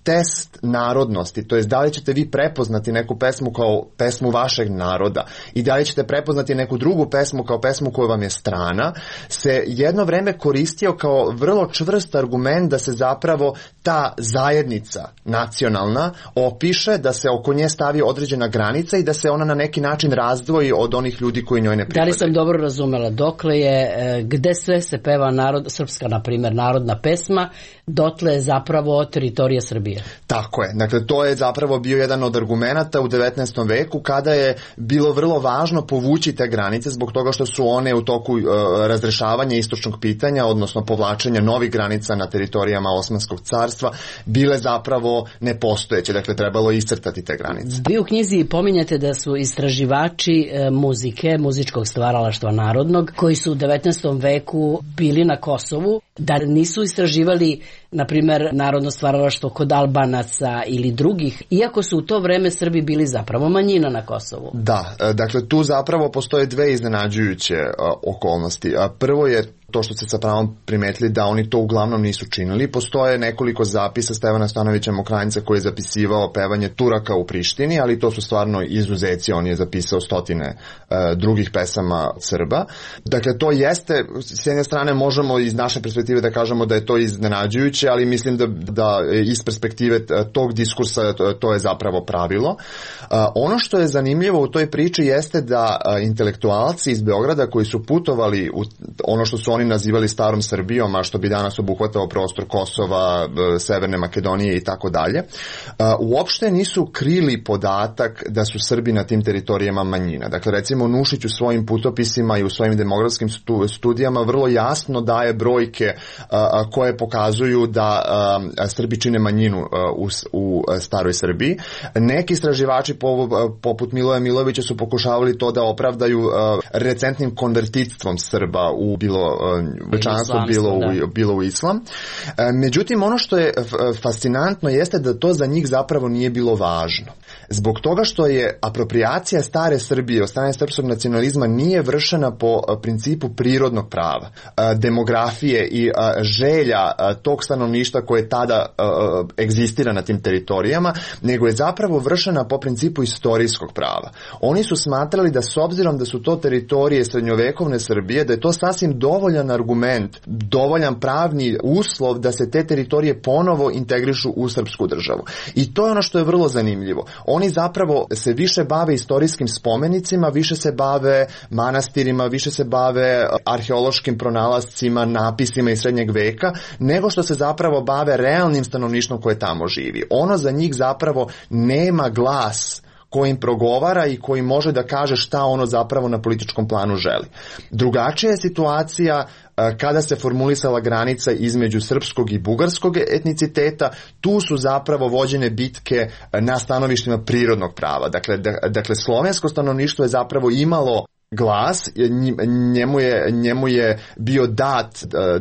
test narodnosti, to jest da li ćete vi prepoznati neku pesmu kao pesmu vašeg naroda i da li ćete prepoznati neku drugu pesmu kao pesmu koja vam je strana, se jedno vreme koristio kao vrlo čvrst argument da se zapravo ta zajednica nacionalna opiše, da se oko nje stavi određena granica i da se ona na neki način razdvoji od onih ljudi koji njoj ne pripadaju. Da li sam dobro razumela, dokle je, gde sve se peva srpska, na primjer, narodna pesma, dotle je zapravo teritorija Srbije? Tako je. Dakle, to je zapravo bio jedan od argumenata u 19. veku kada je bilo vrlo važno povući te granice zbog toga što su one u toku razrešavanja istočnog pitanja, odnosno povlačenja novih granica na teritorijama Osmanskog carstva carstva bile zapravo nepostojeće, dakle trebalo je iscrtati te granice. Vi u knjizi pominjate da su istraživači muzike, muzičkog stvaralaštva narodnog, koji su u 19. veku bili na Kosovu, da nisu istraživali, na primjer, narodno stvaralaštvo kod Albanaca ili drugih, iako su u to vreme Srbi bili zapravo manjina na Kosovu. Da, dakle tu zapravo postoje dve iznenađujuće okolnosti. Prvo je to što ste sa pravom primetili da oni to uglavnom nisu činili. Postoje nekoliko zapisa Stevana Stanovića Mokranjca koji je zapisivao pevanje Turaka u Prištini, ali to su stvarno izuzeci, on je zapisao stotine drugih pesama Srba. Dakle, to jeste, s jedne strane možemo iz naše perspektive da kažemo da je to iznenađujuće, ali mislim da iz perspektive tog diskursa to je zapravo pravilo. Ono što je zanimljivo u toj priči jeste da intelektualci iz Beograda koji su putovali u ono što su oni nazivali starom Srbijom, a što bi danas obuhvatao prostor Kosova, Severne Makedonije i tako dalje, uopšte nisu krili podatak da su Srbi na tim teritorijama manjina. Dakle, recimo Nušić u svojim putopisima i u svojim demografskim studijama vrlo jasno daje brojke koje pokazuju da Srbi čine manjinu u staroj Srbiji. Neki istraživači poput Miloja Milovića su pokušavali to da opravdaju recentnim konvertitstvom Srba u bilo u islam. Međutim, ono što je fascinantno jeste da to za njih zapravo nije bilo važno. Zbog toga što je aproprijacija stare Srbije od strane srpskog nacionalizma nije vršena po principu prirodnog prava, demografije i želja tog stanovništva koje tada egzistira na tim teritorijama, nego je zapravo vršena po principu istorijskog prava. Oni su smatrali da s obzirom da su to teritorije srednjovekovne Srbije, da je to sasvim dovoljan argument, dovoljan pravni uslov da se te teritorije ponovo integrišu u srpsku državu. I to je ono što je vrlo zanimljivo. Oni zapravo se više bave istorijskim spomenicima, više se bave manastirima, više se bave arheološkim pronalascima, napisima iz srednjeg veka, nego što se zapravo bave realnim stanovništvom koje tamo živi. Ono za njih zapravo nema glas kojim progovara i koji može da kaže šta ono zapravo na političkom planu želi. Drugačija je situacija kada se formulisala granica između srpskog i bugarskog etniciteta. Tu su zapravo vođene bitke na stanovištima prirodnog prava. Dakle, slovensko stanovništvo je zapravo imalo glas, njemu je bio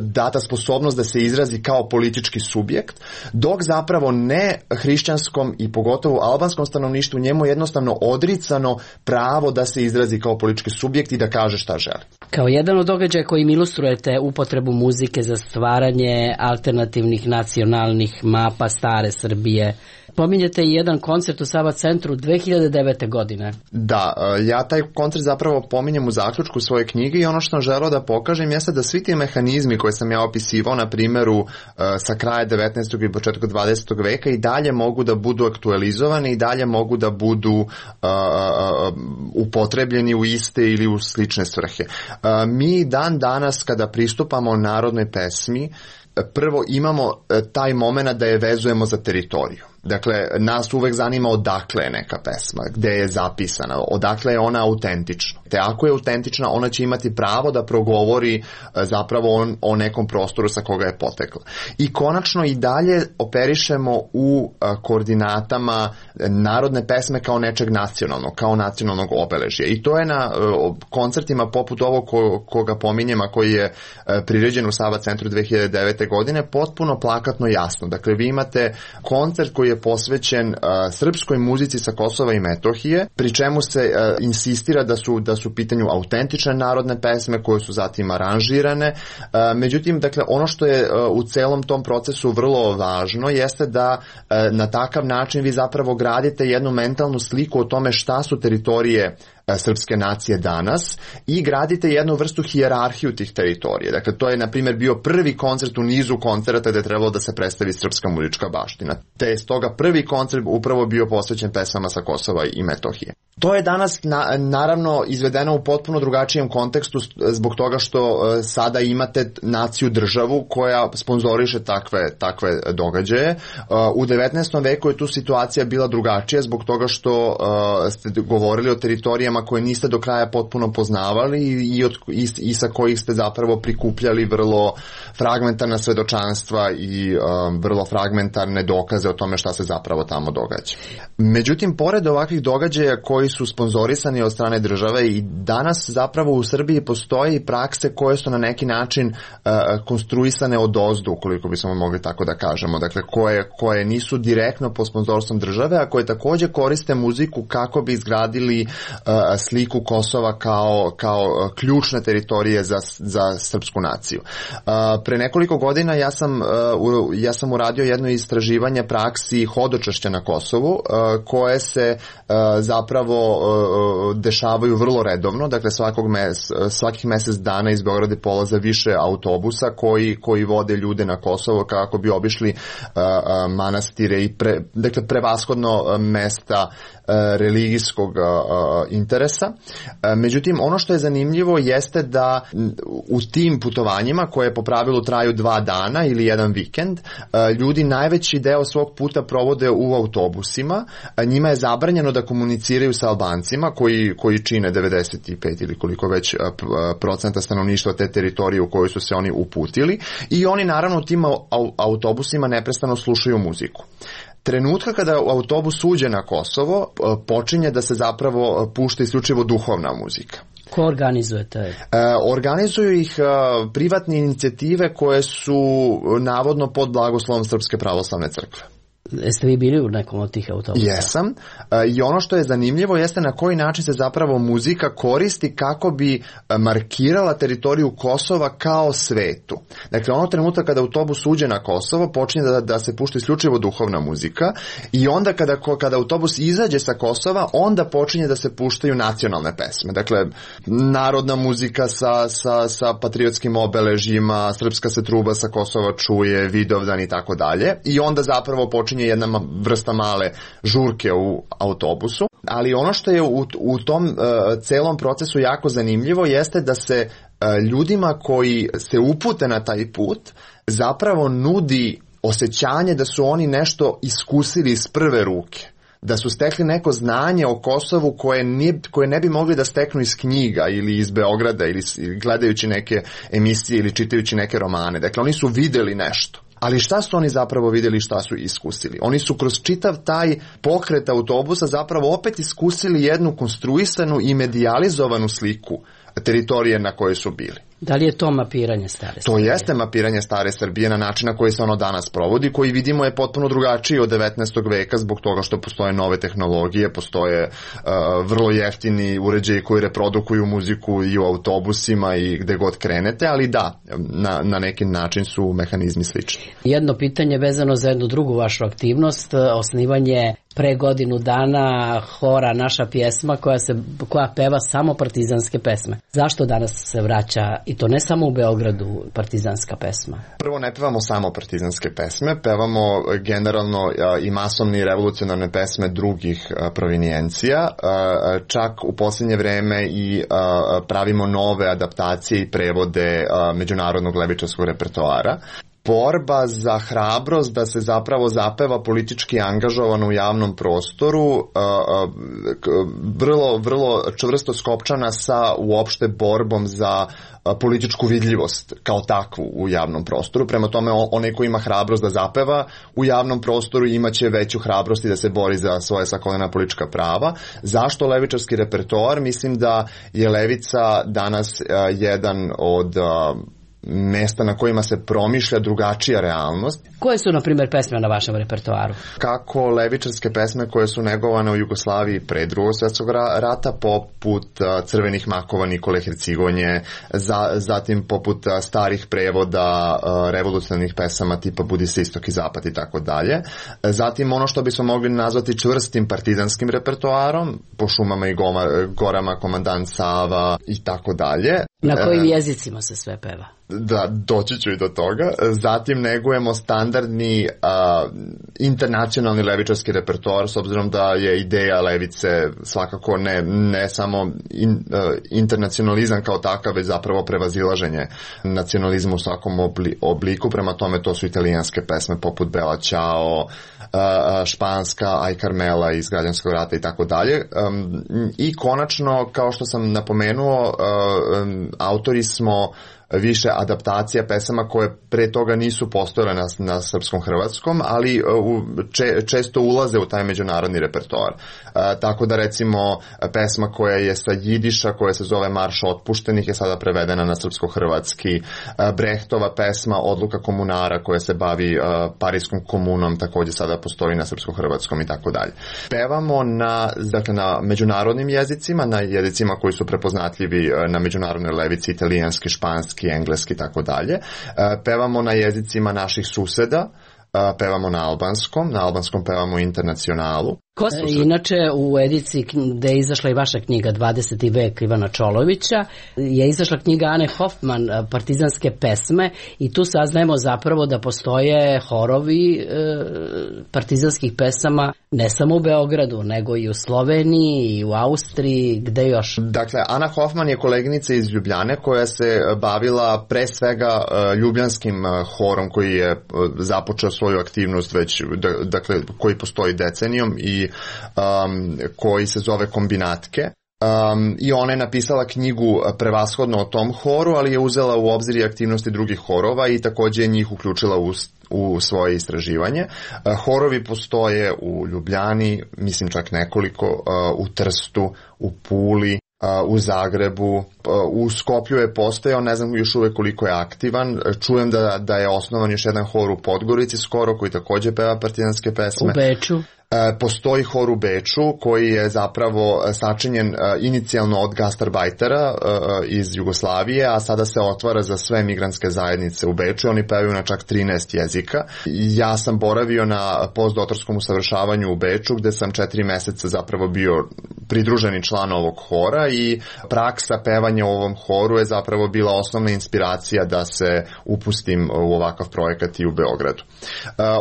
data sposobnost da se izrazi kao politički subjekt, dok zapravo ne hrišćanskom i pogotovo albanskom stanovništvu njemu je jednostavno odricano pravo da se izrazi kao politički subjekt i da kaže šta želi. Kao jedan od događaja kojim ilustrujete upotrebu muzike za stvaranje alternativnih nacionalnih mapa stare Srbije, pominjete i jedan koncert u Sava centru 2009. godine. Da, ja taj koncert zapravo pominjem u zaključku svoje knjige i ono što sam želeo da pokažem jeste da svi ti mehanizmi koje sam ja opisivao na primjeru sa kraja 19. i početka 20. veka i dalje mogu da budu aktualizovani i dalje mogu da budu upotrebljeni u iste ili u slične svrhe. Mi dan danas kada pristupamo narodnoj pesmi, prvo imamo taj moment da je vezujemo za teritoriju. Dakle, nas uvek zanima odakle je neka pesma, gde je zapisana, odakle je ona autentična. Te ako je autentična, ona će imati pravo da progovori zapravo o nekom prostoru sa koga je potekla. I konačno i dalje operišemo u koordinatama narodne pesme kao nečeg nacionalnog, kao nacionalnog obeležja. I to je na koncertima poput ovog koga pominjem, a koji je priređen u Sava centru 2009. godine, potpuno plakatno jasno. Dakle, vi imate koncert koji je posvećen srpskoj muzici sa Kosova i Metohije, pri čemu se insistira da su u pitanju autentične narodne pesme koje su zatim aranžirane. Međutim, dakle, ono što je u celom tom procesu vrlo važno jeste da na takav način vi zapravo gradite jednu mentalnu sliku o tome šta su teritorije srpske nacije danas i gradite jednu vrstu hijerarhiju tih teritorija. Dakle, to je, na primjer, bio prvi koncert u nizu koncerata gde je trebalo da se predstavi srpska muzička baština. Te je stoga prvi koncert upravo bio posvećen pesama sa Kosova i Metohije. To je danas naravno izvedeno u potpuno drugačijem kontekstu zbog toga što sada imate naciju državu koja sponzoriše takve događaje. U 19. veku je tu situacija bila drugačija zbog toga što ste govorili o teritorijama koje niste do kraja potpuno poznavali i sa kojih ste zapravo prikupljali vrlo fragmentarna svedočanstva i vrlo fragmentarne dokaze o tome šta se zapravo tamo događa. Međutim, pored ovakvih događaja koji su sponzorisani od strane države i danas zapravo u Srbiji postoje prakse koje su na neki način konstruisane odozdu, ukoliko bismo mogli tako da kažemo, dakle koje nisu direktno pod sponzorstvom države, a koje također koriste muziku kako bi izgradili sliku Kosova kao ključne teritorije za srpsku naciju. Pre nekoliko godina ja sam uradio jedno istraživanje praksi hodočašća na Kosovu koje se zapravo dešavaju vrlo redovno, dakle svakih mjesec dana iz Beograda polaze više autobusa koji vode ljude na Kosovo kako bi obišli manastire i prevashodno mesta religijskog interesa. Međutim, ono što je zanimljivo jeste da u tim putovanjima koje po pravilu traju 2 dana ili jedan vikend, ljudi najveći deo svog puta provode u autobusima. Njima je zabranjeno da komuniciraju sa Albancima koji čine 95 ili koliko već procenta stanovništva te teritorije u kojoj su se oni uputili i oni naravno u tim autobusima neprestano slušaju muziku. Trenutka kada autobus uđe na Kosovo, počinje da se zapravo pušta isključivo duhovna muzika. Ko organizuje to? Organizuju ih privatne inicijative koje su navodno pod blagoslovom Srpske pravoslavne crkve. Jeste vi bili u nekom od tih autobusa? Jesam. I ono što je zanimljivo jeste na koji način se zapravo muzika koristi kako bi markirala teritoriju Kosova kao svetu. Dakle, ono trenutka kada autobus uđe na Kosovo, počinje da se pušta isključivo duhovna muzika i onda kada autobus izađe sa Kosova, onda počinje da se puštaju nacionalne pesme. Dakle, narodna muzika sa patriotskim obeležjima, srpska se truba sa Kosova čuje, Vidovdan i tako dalje. I onda zapravo počinje jedna vrsta male žurke u autobusu, ali ono što je u tom celom procesu jako zanimljivo jeste da se ljudima koji se upute na taj put zapravo nudi osjećanje da su oni nešto iskusili iz prve ruke, da su stekli neko znanje o Kosovu koje ne bi mogli da steknu iz knjiga ili iz Beograda ili gledajući neke emisije ili čitajući neke romane. Dakle, oni su videli nešto. Ali šta su oni zapravo vidjeli, šta su iskusili? Oni su kroz čitav taj pokret autobusa zapravo opet iskusili jednu konstruisanu i medijalizovanu sliku teritorije na kojoj su bili. Da li je to mapiranje stare Srbije? To jeste mapiranje stare Srbije na način na koji se ono danas provodi, koji vidimo je potpuno drugačiji od 19. veka zbog toga što postoje nove tehnologije, postoje vrlo jeftini uređaji koji reprodukuju muziku i u autobusima i gde god krenete, ali da, na neki način su mehanizmi slični. Jedno pitanje vezano za jednu drugu vašu aktivnost, osnivanje pre godinu dana hora Naša pjesma koja peva samo partizanske pesme. Zašto danas se vraća i to ne samo u Beogradu partizanska pesma? Prvo, ne pevamo samo partizanske pesme, pevamo generalno i masovne i revolucionarne pesme drugih provinijencija. Čak u posljednje vreme i pravimo nove adaptacije i prevode međunarodnog levičarskog repertoara. Borba za hrabrost da se zapravo zapeva politički angažovano u javnom prostoru vrlo čvrsto skopčana sa uopšte borbom za političku vidljivost kao takvu u javnom prostoru. Prema tome, onaj ko ima hrabrost da zapeva u javnom prostoru imaće veću hrabrost i da se bori za svoje svakodnevna politička prava. Zašto levičarski repertoar? Mislim da je levica danas jedan od mesta na kojima se promišlja drugačija realnost. Koje su, na primjer, pesme na vašem repertoaru? Kako levičarske pesme koje su negovane u Jugoslaviji pre Drugog svjetskog rata, poput Crvenih makova Nikole Hercigonje, zatim poput starih prevoda revolucionarnih pesama tipa Budi se istok i zapad i tako dalje. Zatim ono što bismo mogli nazvati čvrstim partizanskim repertoarom, po šumama i gorama Komandant Sava i tako dalje. Na kojim jezicima se sve peva? da doći ću i do toga. Zatim negujemo standardni internacionalni levičarski repertoar, s obzirom da je ideja levice svakako ne samo internacionalizam kao takav, već zapravo prevazilaženje nacionalizma u svakom obliku. Prema tome to su italijanske pesme poput Bella Ciao, španska Aj Carmela iz Građanskog rata i tako dalje. I konačno, kao što sam napomenuo, autori smo više adaptacija pesama koje pre toga nisu postojale na srpskom hrvatskom, ali često ulaze u taj međunarodni repertoar. Tako da recimo pesma koja je sa jidiša, koja se zove Marš otpuštenih, je sada prevedena na srpsko-hrvatski. Brehtova pesma Odluka komunara koja se bavi Parijskom komunom također sada postoji na srpsko-hrvatskom i tako dalje. Pevamo na međunarodnim jezicima, na jezicima koji su prepoznatljivi na međunarodnoj levici, italijanski, španski, engleski i tako dalje. Pevamo na jezicima naših suseda, pevamo na albanskom pevamo Internacionalu. Inače, u ediciji gde je izašla i vaša knjiga 20. vek Ivana Čolovića, je izašla knjiga Ane Hoffman, Partizanske pesme, i tu saznajemo zapravo da postoje horovi partizanskih pesama ne samo u Beogradu, nego i u Sloveniji, i u Austriji, gde još? Dakle, Ana Hoffman je koleginica iz Ljubljane koja se bavila pre svega ljubljanskim horom koji je započeo svoju aktivnost već, dakle, koji postoji decenijom i koji se zove Kombinatke. I ona je napisala knjigu prevashodno o tom horu, ali je uzela u obzir i aktivnosti drugih horova i također je njih uključila u svoje istraživanje. Horovi postoje u Ljubljani, mislim čak nekoliko, u Trstu, u Puli, u Zagrebu, u Skoplju je postojao, ne znam još uvek koliko je aktivan. Čujem da je osnovan još jedan hor u Podgorici skoro, koji također peva partizanske pesme. U Beču? Postoji hor u Beču koji je zapravo sačinjen inicijalno od gastarbajtera iz Jugoslavije, a sada se otvara za sve migrantske zajednice u Beču. Oni pevaju na čak 13 jezika. Ja sam boravio na postdoktorskom usavršavanju u Beču, gde sam 4 meseca zapravo bio pridruženi član ovog hora i praksa pevanja u ovom horu je zapravo bila osnovna inspiracija da se upustim u ovakav projekat i u Beogradu.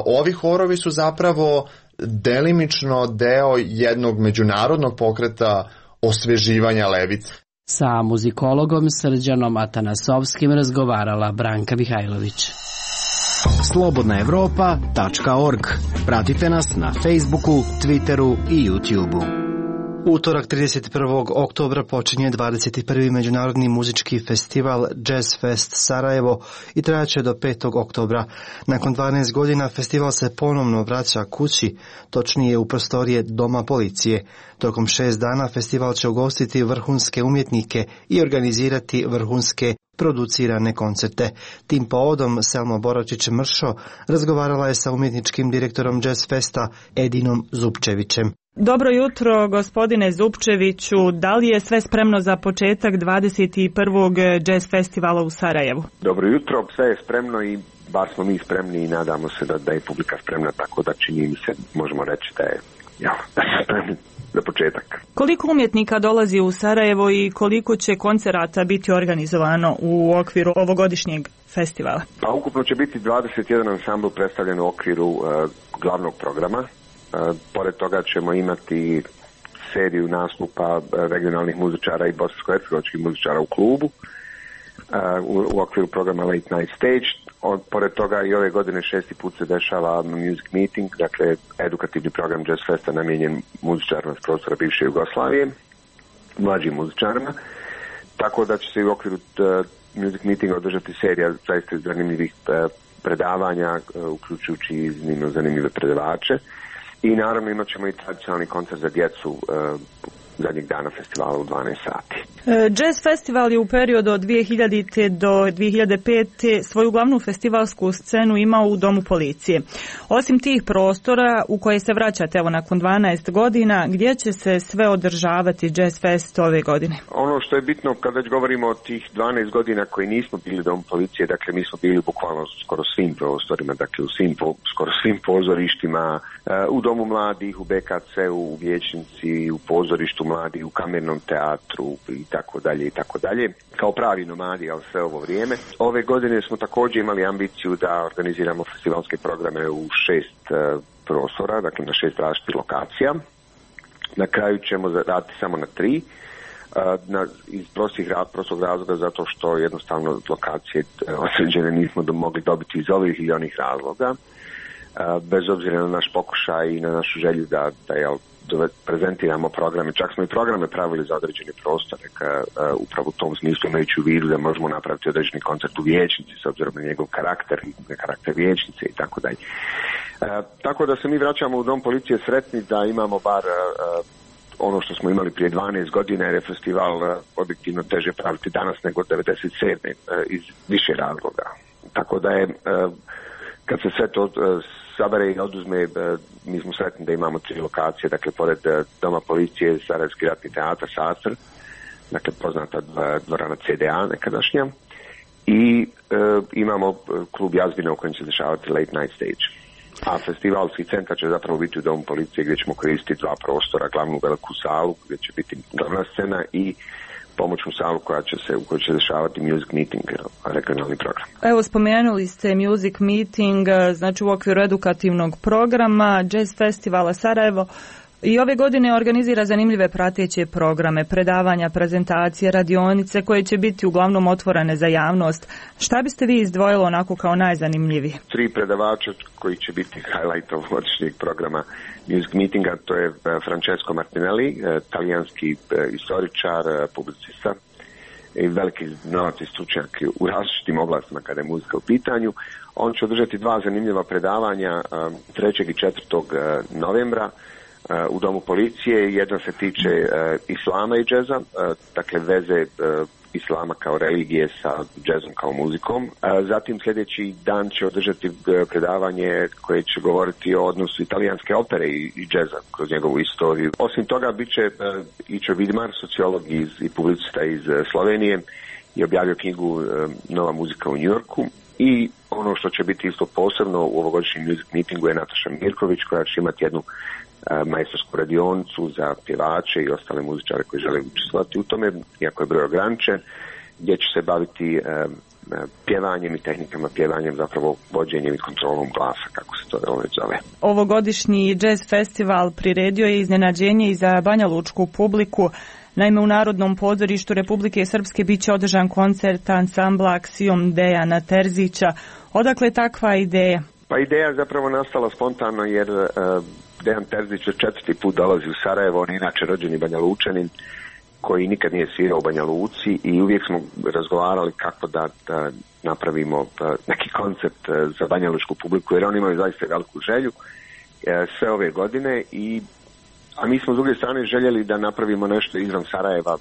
Ovi horovi su zapravo delimično deo jednog međunarodnog pokreta osveživanja levice. Sa muzikologom Srđanom Atanasovskim razgovarala Branka Mihajlović. Slobodnaevropa.org. Pratite nas na Facebooku, Twitteru i YouTubeu. Utorak 31. oktobra počinje 21. Međunarodni muzički festival Jazz Fest Sarajevo i trajaće do 5. oktobra. Nakon 12 godina festival se ponovno vraća kući, točnije u prostorije Doma policije. Tokom 6 dana festival će ugostiti vrhunske umjetnike i organizirati vrhunske producirane koncerte. Tim povodom Selma Boračić-Mršo razgovarala je sa umjetničkim direktorom Jazz Festa Edinom Zupčevićem. Dobro jutro, gospodine Zupčeviću. Da li je sve spremno za početak 21. Jazz festivala u Sarajevu? Dobro jutro, sve je spremno i bar smo mi spremni i nadamo se da je publika spremna, tako da čini mi se, možemo reći da smo spremni za početak. Koliko umjetnika dolazi u Sarajevo i koliko će koncerata biti organizovano u okviru ovogodišnjeg festivala? Pa ukupno će biti 21 ansambl predstavljen u okviru glavnog programa. Pored toga ćemo imati seriju nastupa regionalnih muzičara i bosansko-hercegovačkih muzičara u klubu u okviru programa Late Night Stage. Pored toga i ove godine 6. put se dešava Music Meeting, dakle edukativni program Jazz Festa namijenjen muzičarima s prostora bivše Jugoslavije, mlađim muzičarima. Tako da će se u okviru Music Meetinga održati serija zaista zanimljivih predavanja, uključujući iznimno zanimljive predavače. I naravno imat ćemo i tradicionalni koncert za djecu zadnjeg dana festivala u 12 sati. Jazz festival je u periodu od 2000. do 2005. svoju glavnu festivalsku scenu imao u Domu policije. Osim tih prostora u koje se vraćate evo nakon 12 godina, gdje će se sve održavati Jazz Fest ove godine? Ono što je bitno kad već govorimo o tih 12 godina koji nismo bili Dom policije, dakle mi smo bili bukvalno skoro svim prostorima, dakle skoro svim pozorištima, u Domu mladih, u BKC-u, u Vijećnici, u pozorištu, su mladi u kamernom teatru i tako dalje i tako dalje. Kao pravi nomadi, ali sve ovo vrijeme. Ove godine smo također imali ambiciju da organiziramo festivalske programe u 6 prostora, dakle na 6 različitih lokacija. Na kraju ćemo raditi samo na 3. Iz prostog razloga zato što jednostavno lokacije osređene nismo mogli dobiti iz ovih ili onih razloga. Bez obzira na naš pokušaj i na našu želju da prezentiramo programe, čak smo i programe pravili za određene prostore, upravo u tom smislu imajući u vidu da možemo napraviti određeni koncert u vijećnici s obzirom na njegov karakter, na karakter vijećnice i tako dalje. Tako da se mi vraćamo u Dom policije sretni da imamo bar ono što smo imali prije 12 godina, jer je festival objektivno teže praviti danas nego 97. Iz više razloga. Tako da je, kad se sve to sabere i oduzme, mi smo sretni da imamo 3 lokacije, dakle pored Doma policije, Sarajevski ratni teatar Sastr, dakle poznata dvorana CDA nekadašnja, i imamo klub Jazbina u kojem će se dešavati Late Night Stage. A festivalski centar će zapravo biti u Domu policije gdje ćemo koristiti 2 prostora, glavnu veliku salu gdje će biti glavna scena i pomoćnu salu u kojoj će dešavati Music Meeting, regionalni program. Evo, spomenuli ste Music Meeting, znači u okviru edukativnog programa Jazz Festivala Sarajevo. I ove godine organizira zanimljive prateće programe, predavanja, prezentacije, radionice koje će biti uglavnom otvorene za javnost. Šta biste vi izdvojili onako kao najzanimljiviji? 3 predavača koji će biti highlight ovogodišnjeg programa Music Meetinga, to je Francesco Martinelli, talijanski istoričar, publicista i veliki znalac i stručnjak u različitim oblastima kada je muzika u pitanju. On će održati 2 zanimljiva predavanja 3. i 4. novembra u Domu policije. Jedna se tiče islama i džeza, dakle veze islama kao religije sa džezom kao muzikom. Zatim sljedeći dan će održati predavanje koje će govoriti o odnosu italijanske opere i džeza kroz njegovu istoriju. Osim toga bit će Ičo Vidmar, sociolog i publicista iz Slovenije, i objavio knjigu Nova muzika u Njujorku. I ono što će biti isto posebno u ovogodišnjem Music Meetingu je Nataša Mirković, koja će imati jednu majstorsku radionicu za pjevače i ostale muzičare koji žele učestvovati u tome, iako je broj ograničen, gdje će se baviti pjevanjem i tehnikama pjevanjem, zapravo vođenjem i kontrolom glasa, kako se to zove. Ovogodišnji Jazz Festival priredio je iznenađenje i za banjalučku publiku. Naime, u Narodnom pozorištu Republike Srpske bit će održan koncert ansambla Aksijom Dejana Terzića. Odakle je takva ideja? Pa ideja je zapravo nastala spontano jer Dejan Terzić 4. put dolazi u Sarajevo, on je inače rođeni Banjalučanin koji nikad nije svirao u Banja Luci i uvijek smo razgovarali kako da napravimo neki koncept za banjalučku publiku, jer oni imaju zaista veliku želju sve ove godine, a mi smo s druge strane željeli da napravimo nešto izvan Sarajeva,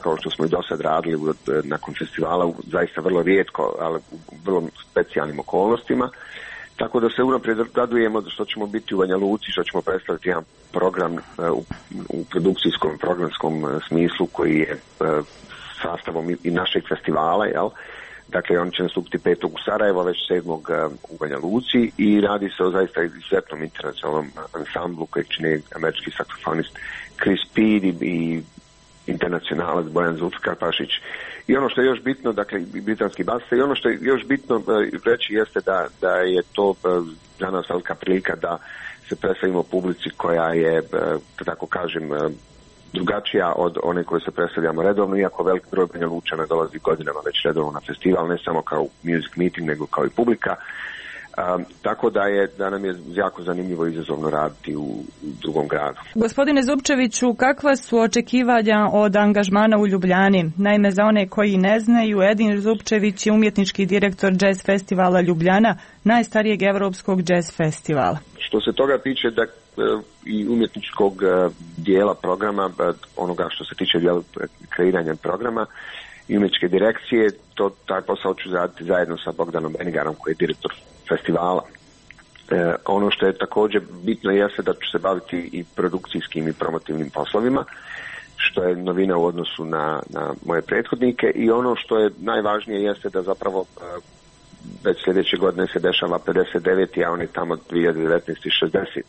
kao što smo i do sad radili nakon festivala, zaista vrlo rijetko, ali u vrlo specijalnim okolnostima. Tako da se unaprijed radujemo što ćemo biti u Banja Luci, što ćemo predstaviti jedan program u produkcijskom, programskom smislu koji je sastavom i našeg festivala, jel? Dakle, on će nastupiti 5. u Sarajevo, već 7. u Banja Luci i radi se o zaista izuzetnom internacionalnom ansamblu kojeg čine američki saksofonist Chris Speed i internacionalac Bojan Zulfikarpašić. I ono što je još bitno, dakle, britanski basista, i ono što je još bitno reći jeste da je to za nas velika prilika da se predstavimo publici koja je, da tako kažem, drugačija od one koje se predstavljamo redovno, iako velik broj Banjalučana dolazi godinama već redovno na festival, ne samo kao Music Meeting, nego kao i publika. Tako da nam je jako zanimljivo i izazovno raditi u drugom gradu. Gospodine Zupčeviću, kakva su očekivanja od angažmana u Ljubljani? Naime, za one koji ne znaju, Edin Zupčević je umjetnički direktor Jazz Festivala Ljubljana, najstarijeg evropskog jazz festivala. Što se toga tiče i umjetničkog dijela programa, onoga što se tiče dijela kreiranja programa i umjetničke direkcije, taj posao ću raditi zajedno sa Bogdanom Benigarom koji je direktor festivala. Ono što je također bitno jeste da ću se baviti i produkcijskim i promotivnim poslovima, što je novina u odnosu na moje prethodnike, i ono što je najvažnije jeste da zapravo već sljedeće godine se dešava 59. a on je tamo 2019. 60.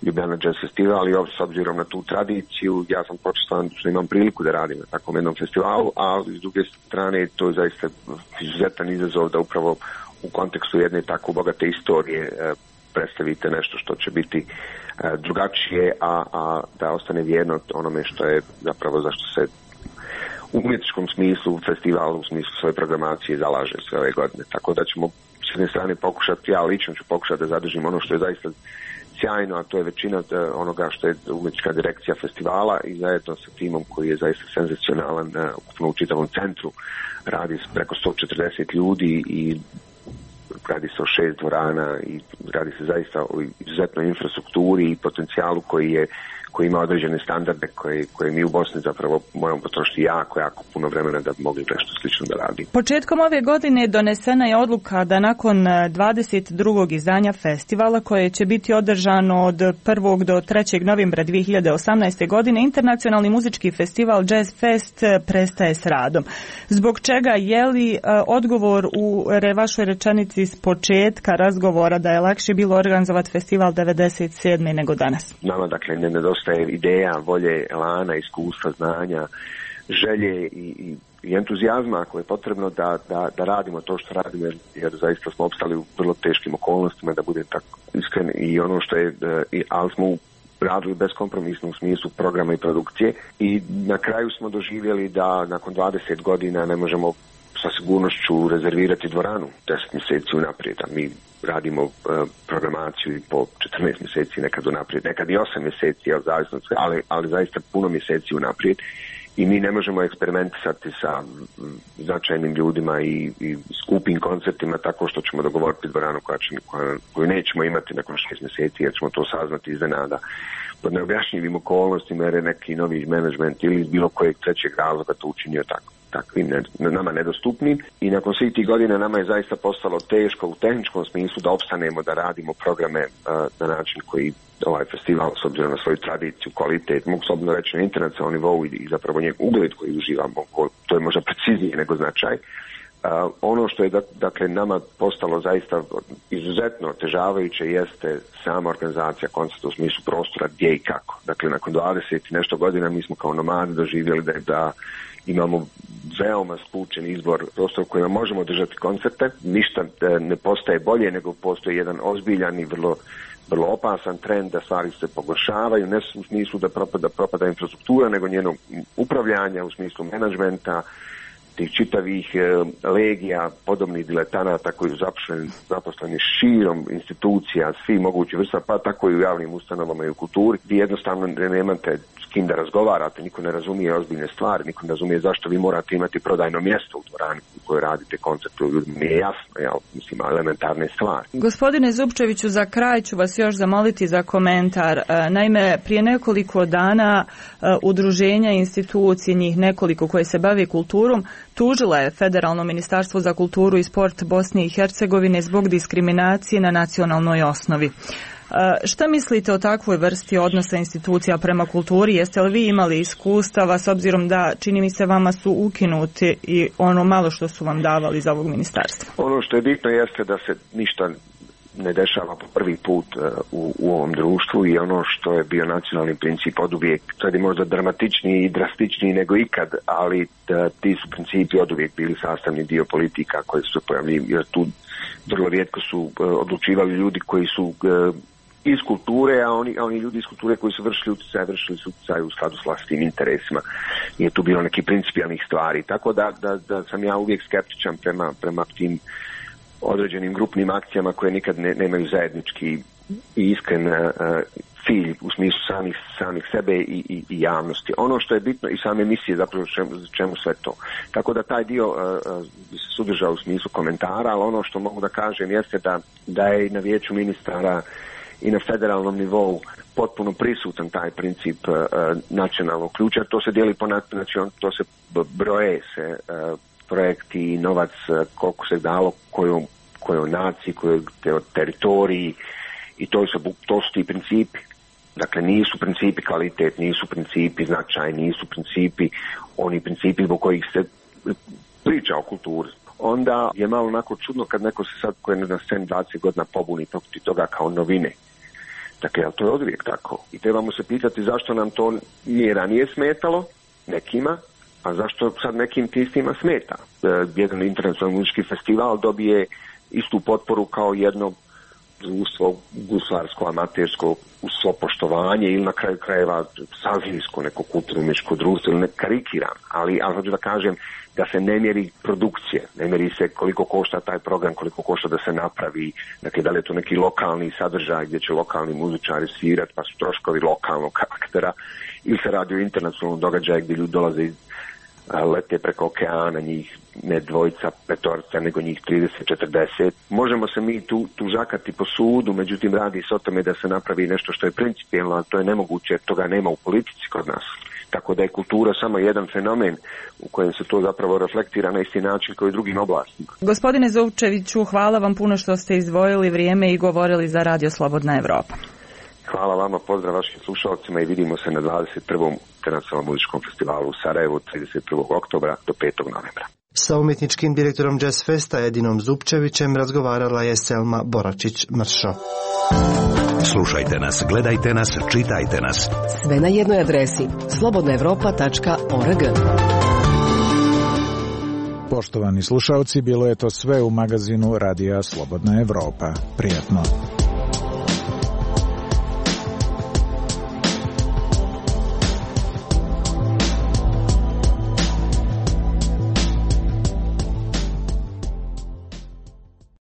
Ljubljana Jazz Festival, i s obzirom na tu tradiciju ja sam počestovan što imam priliku da radim na takvom jednom festivalu, a s druge strane to je zaista izuzetan izazov da upravo u kontekstu jedne tako bogate istorije predstavite nešto što će biti drugačije, a da ostane vjerno onome što je zapravo zašto se u umjetničkom smislu festivalu, u smislu svoje programacije zalaže sve ove godine. Tako da ćemo s jedne strane pokušati, ja lično ću pokušati da zadržim ono što je zaista sjajno, a to je većina onoga što je umjetnička direkcija festivala, i zajedno sa timom koji je zaista senzacionalan ukupno u čitavom centru. Radi se preko 140 ljudi i radi se o 6 dvorana i radi se zaista o izuzetnoj infrastrukturi i potencijalu koji ima određene standarde koje mi u Bosni zapravo moramo potrošiti jako puno vremena da bi mogli nešto slično da radi. Početkom ove godine donesena je odluka da nakon 22. izdanja festivala, koje će biti održano od 1. do 3. novembra 2018. godine, internacionalni muzički festival Jazz Fest prestaje s radom. Zbog čega, je li odgovor u vašoj rečenici s početka razgovora da je lakše bilo organizovati festival 97. nego danas? Nama dakle ne nedostaje ideja, volje, elana, iskustva, znanja, želje i entuzijazma ako je potrebno da radimo to što radimo, jer zaista smo opstali u vrlo teškim okolnostima, da budem tako iskren, i ono što je, ali smo radili beskompromisno u smislu programa i produkcije, i na kraju smo doživjeli da nakon 20 godina ne možemo sa sigurnošću rezervirati dvoranu 10 mjeseci unaprijed, a mi radimo programaciju i po 14 mjeseci nekad unaprijed, nekad i 8 mjeseci, ali zaista puno mjeseci unaprijed, i mi ne možemo eksperimentisati sa značajnim ljudima i skupim koncertima tako što ćemo dogovoriti dvoranu koju nećemo imati nakon 6 mjeseci, jer ćemo to saznati iznenada pod neobjašnjivim okolnostima, jer je neki novi menadžment ili iz bilo kojeg trećeg razloga to učinio takvim nama nedostupnim. I nakon svih tih godina nama je zaista postalo teško u tehničkom smislu da opstanemo, da radimo programe na način koji ovaj festival, s obzirom na svoju tradiciju, kvalitet, mogu slobodno reći na internacionalnom nivou i zapravo njegov ugled koji uživamo, to je možda preciznije nego značaj. Ono što je dakle nama postalo zaista izuzetno otežavajuće jeste sama organizacija koncerta u smislu prostora, gdje i kako. Dakle, nakon 20 i nešto godina mi smo kao nomadi doživjeli da imamo veoma skučen izbor prostora u kojima možemo držati koncerte. Ništa ne postaje bolje, nego postoji jedan ozbiljan i vrlo opasan trend da stvari se pogoršavaju, ne u smislu da propada infrastruktura, nego njeno upravljanje u smislu menadžmenta, tih čitavih legija, podobnih diletanata koji su zaposleni širom institucija, svi mogući vrsta, pa tako i u javnim ustanovama i u kulturi. Vi jednostavno nemate s kim da razgovarate, niko ne razumije ozbiljne stvari, niko ne razumije zašto vi morate imati prodajno mjesto u dvorani u kojoj radite koncert, nije jasno, mislim, elementarne stvari. Gospodine Zupčeviću, za kraj ću vas još zamoliti za komentar. Naime, prije nekoliko dana udruženja institucije, njih nekoliko koje se bave kulturom, tužila je Federalno ministarstvo za kulturu i sport Bosne i Hercegovine zbog diskriminacije na nacionalnoj osnovi. Šta mislite o takvoj vrsti odnosa institucija prema kulturi? Jeste li vi imali iskustava, s obzirom da, čini mi se, vama su ukinuti i ono malo što su vam davali iz ovog ministarstva? Ono što je bitno jeste da se ništa ne dešava po prvi put u ovom društvu, i ono što je bio nacionalni princip oduvijek, sad je možda dramatičniji i drastičniji nego ikad, ali ti su principi oduvijek bili sastavni dio politika koje su se pojavljivali, jer tu vrlo rijetko su odlučivali ljudi koji su iz kulture, a oni ljudi iz kulture koji su vršili su utjecaj u skladu s vlastitim interesima. Nije tu bilo nekih principijalnih stvari, tako da sam ja uvijek skeptičan prema tim određenim grupnim akcijama koje nikad nemaju zajednički i iskren cilj u smislu samih sebe i javnosti. Ono što je bitno i same emisije, zapravo čemu sve to. Tako da taj dio bi se sudržao u smislu komentara, ali ono što mogu da kažem jeste da je i na vijeću ministara i na federalnom nivou potpuno prisutan taj princip nacionalnog ključa. To se dijeli po nacionalnom, to se broje se projekti i novac koliko se dalo kojoj naciji, kojoj teritoriji, i to su ti principi. Dakle, nisu principi kvalitet, nisu principi značaj, nisu principi oni principi zbog kojih se priča o kulturi. Onda je malo onako čudno kad neko se sad, koji je na sceni 20 godina, pobuni protiv toga kao novine. Dakle, ali to je oduvijek tako. I trebamo se pitati zašto nam to nije ranije smetalo, nekima, a zašto sad nekim tistima smeta. Jedan internacionalni muzički festival dobije istu potporu kao jedno društvo guslarsko, amatersko, uz svo poštovanje ili na kraju krajeva sazlijsko, neko kulturno-umjetničko društvo, ili ne karikiram, ali hoću da kažem da se ne mjeri produkcije, ne mjeri se koliko košta taj program, koliko košta da se napravi, dakle da li je to neki lokalni sadržaj gdje će lokalni muzičari svirati pa su troškovi lokalnog karaktera, ili se radi o internacionalnom događaju gdje ljudi dolaze lete preko okeana, njih ne dvojica, petorica, nego njih 30-40. Možemo se mi tu žakati po sudu, međutim radi se o tome da se napravi nešto što je principijelno, a to je nemoguće jer toga nema u politici kod nas. Tako da je kultura samo jedan fenomen u kojem se to zapravo reflektira na isti način kao i drugim oblastima. Gospodine Zupčeviću, hvala vam puno što ste izdvojili vrijeme i govorili za Radio Slobodna Evropa. Hvala vama, pozdrav vašim slušalcima i vidimo se na 21. Internacionalnom muzičkom festivalu u Sarajevu 31. oktobra do 5. novembra. Sa umjetničkim direktorom Jazz Festa Edinom Zupčevićem razgovarala je Selma Boračić-Mršo. Slušajte nas, gledajte nas, čitajte nas. Sve na jednoj adresi slobodnaevropa.org. Poštovani slušalci, bilo je to sve u magazinu Radija Slobodna Evropa. Prijatno.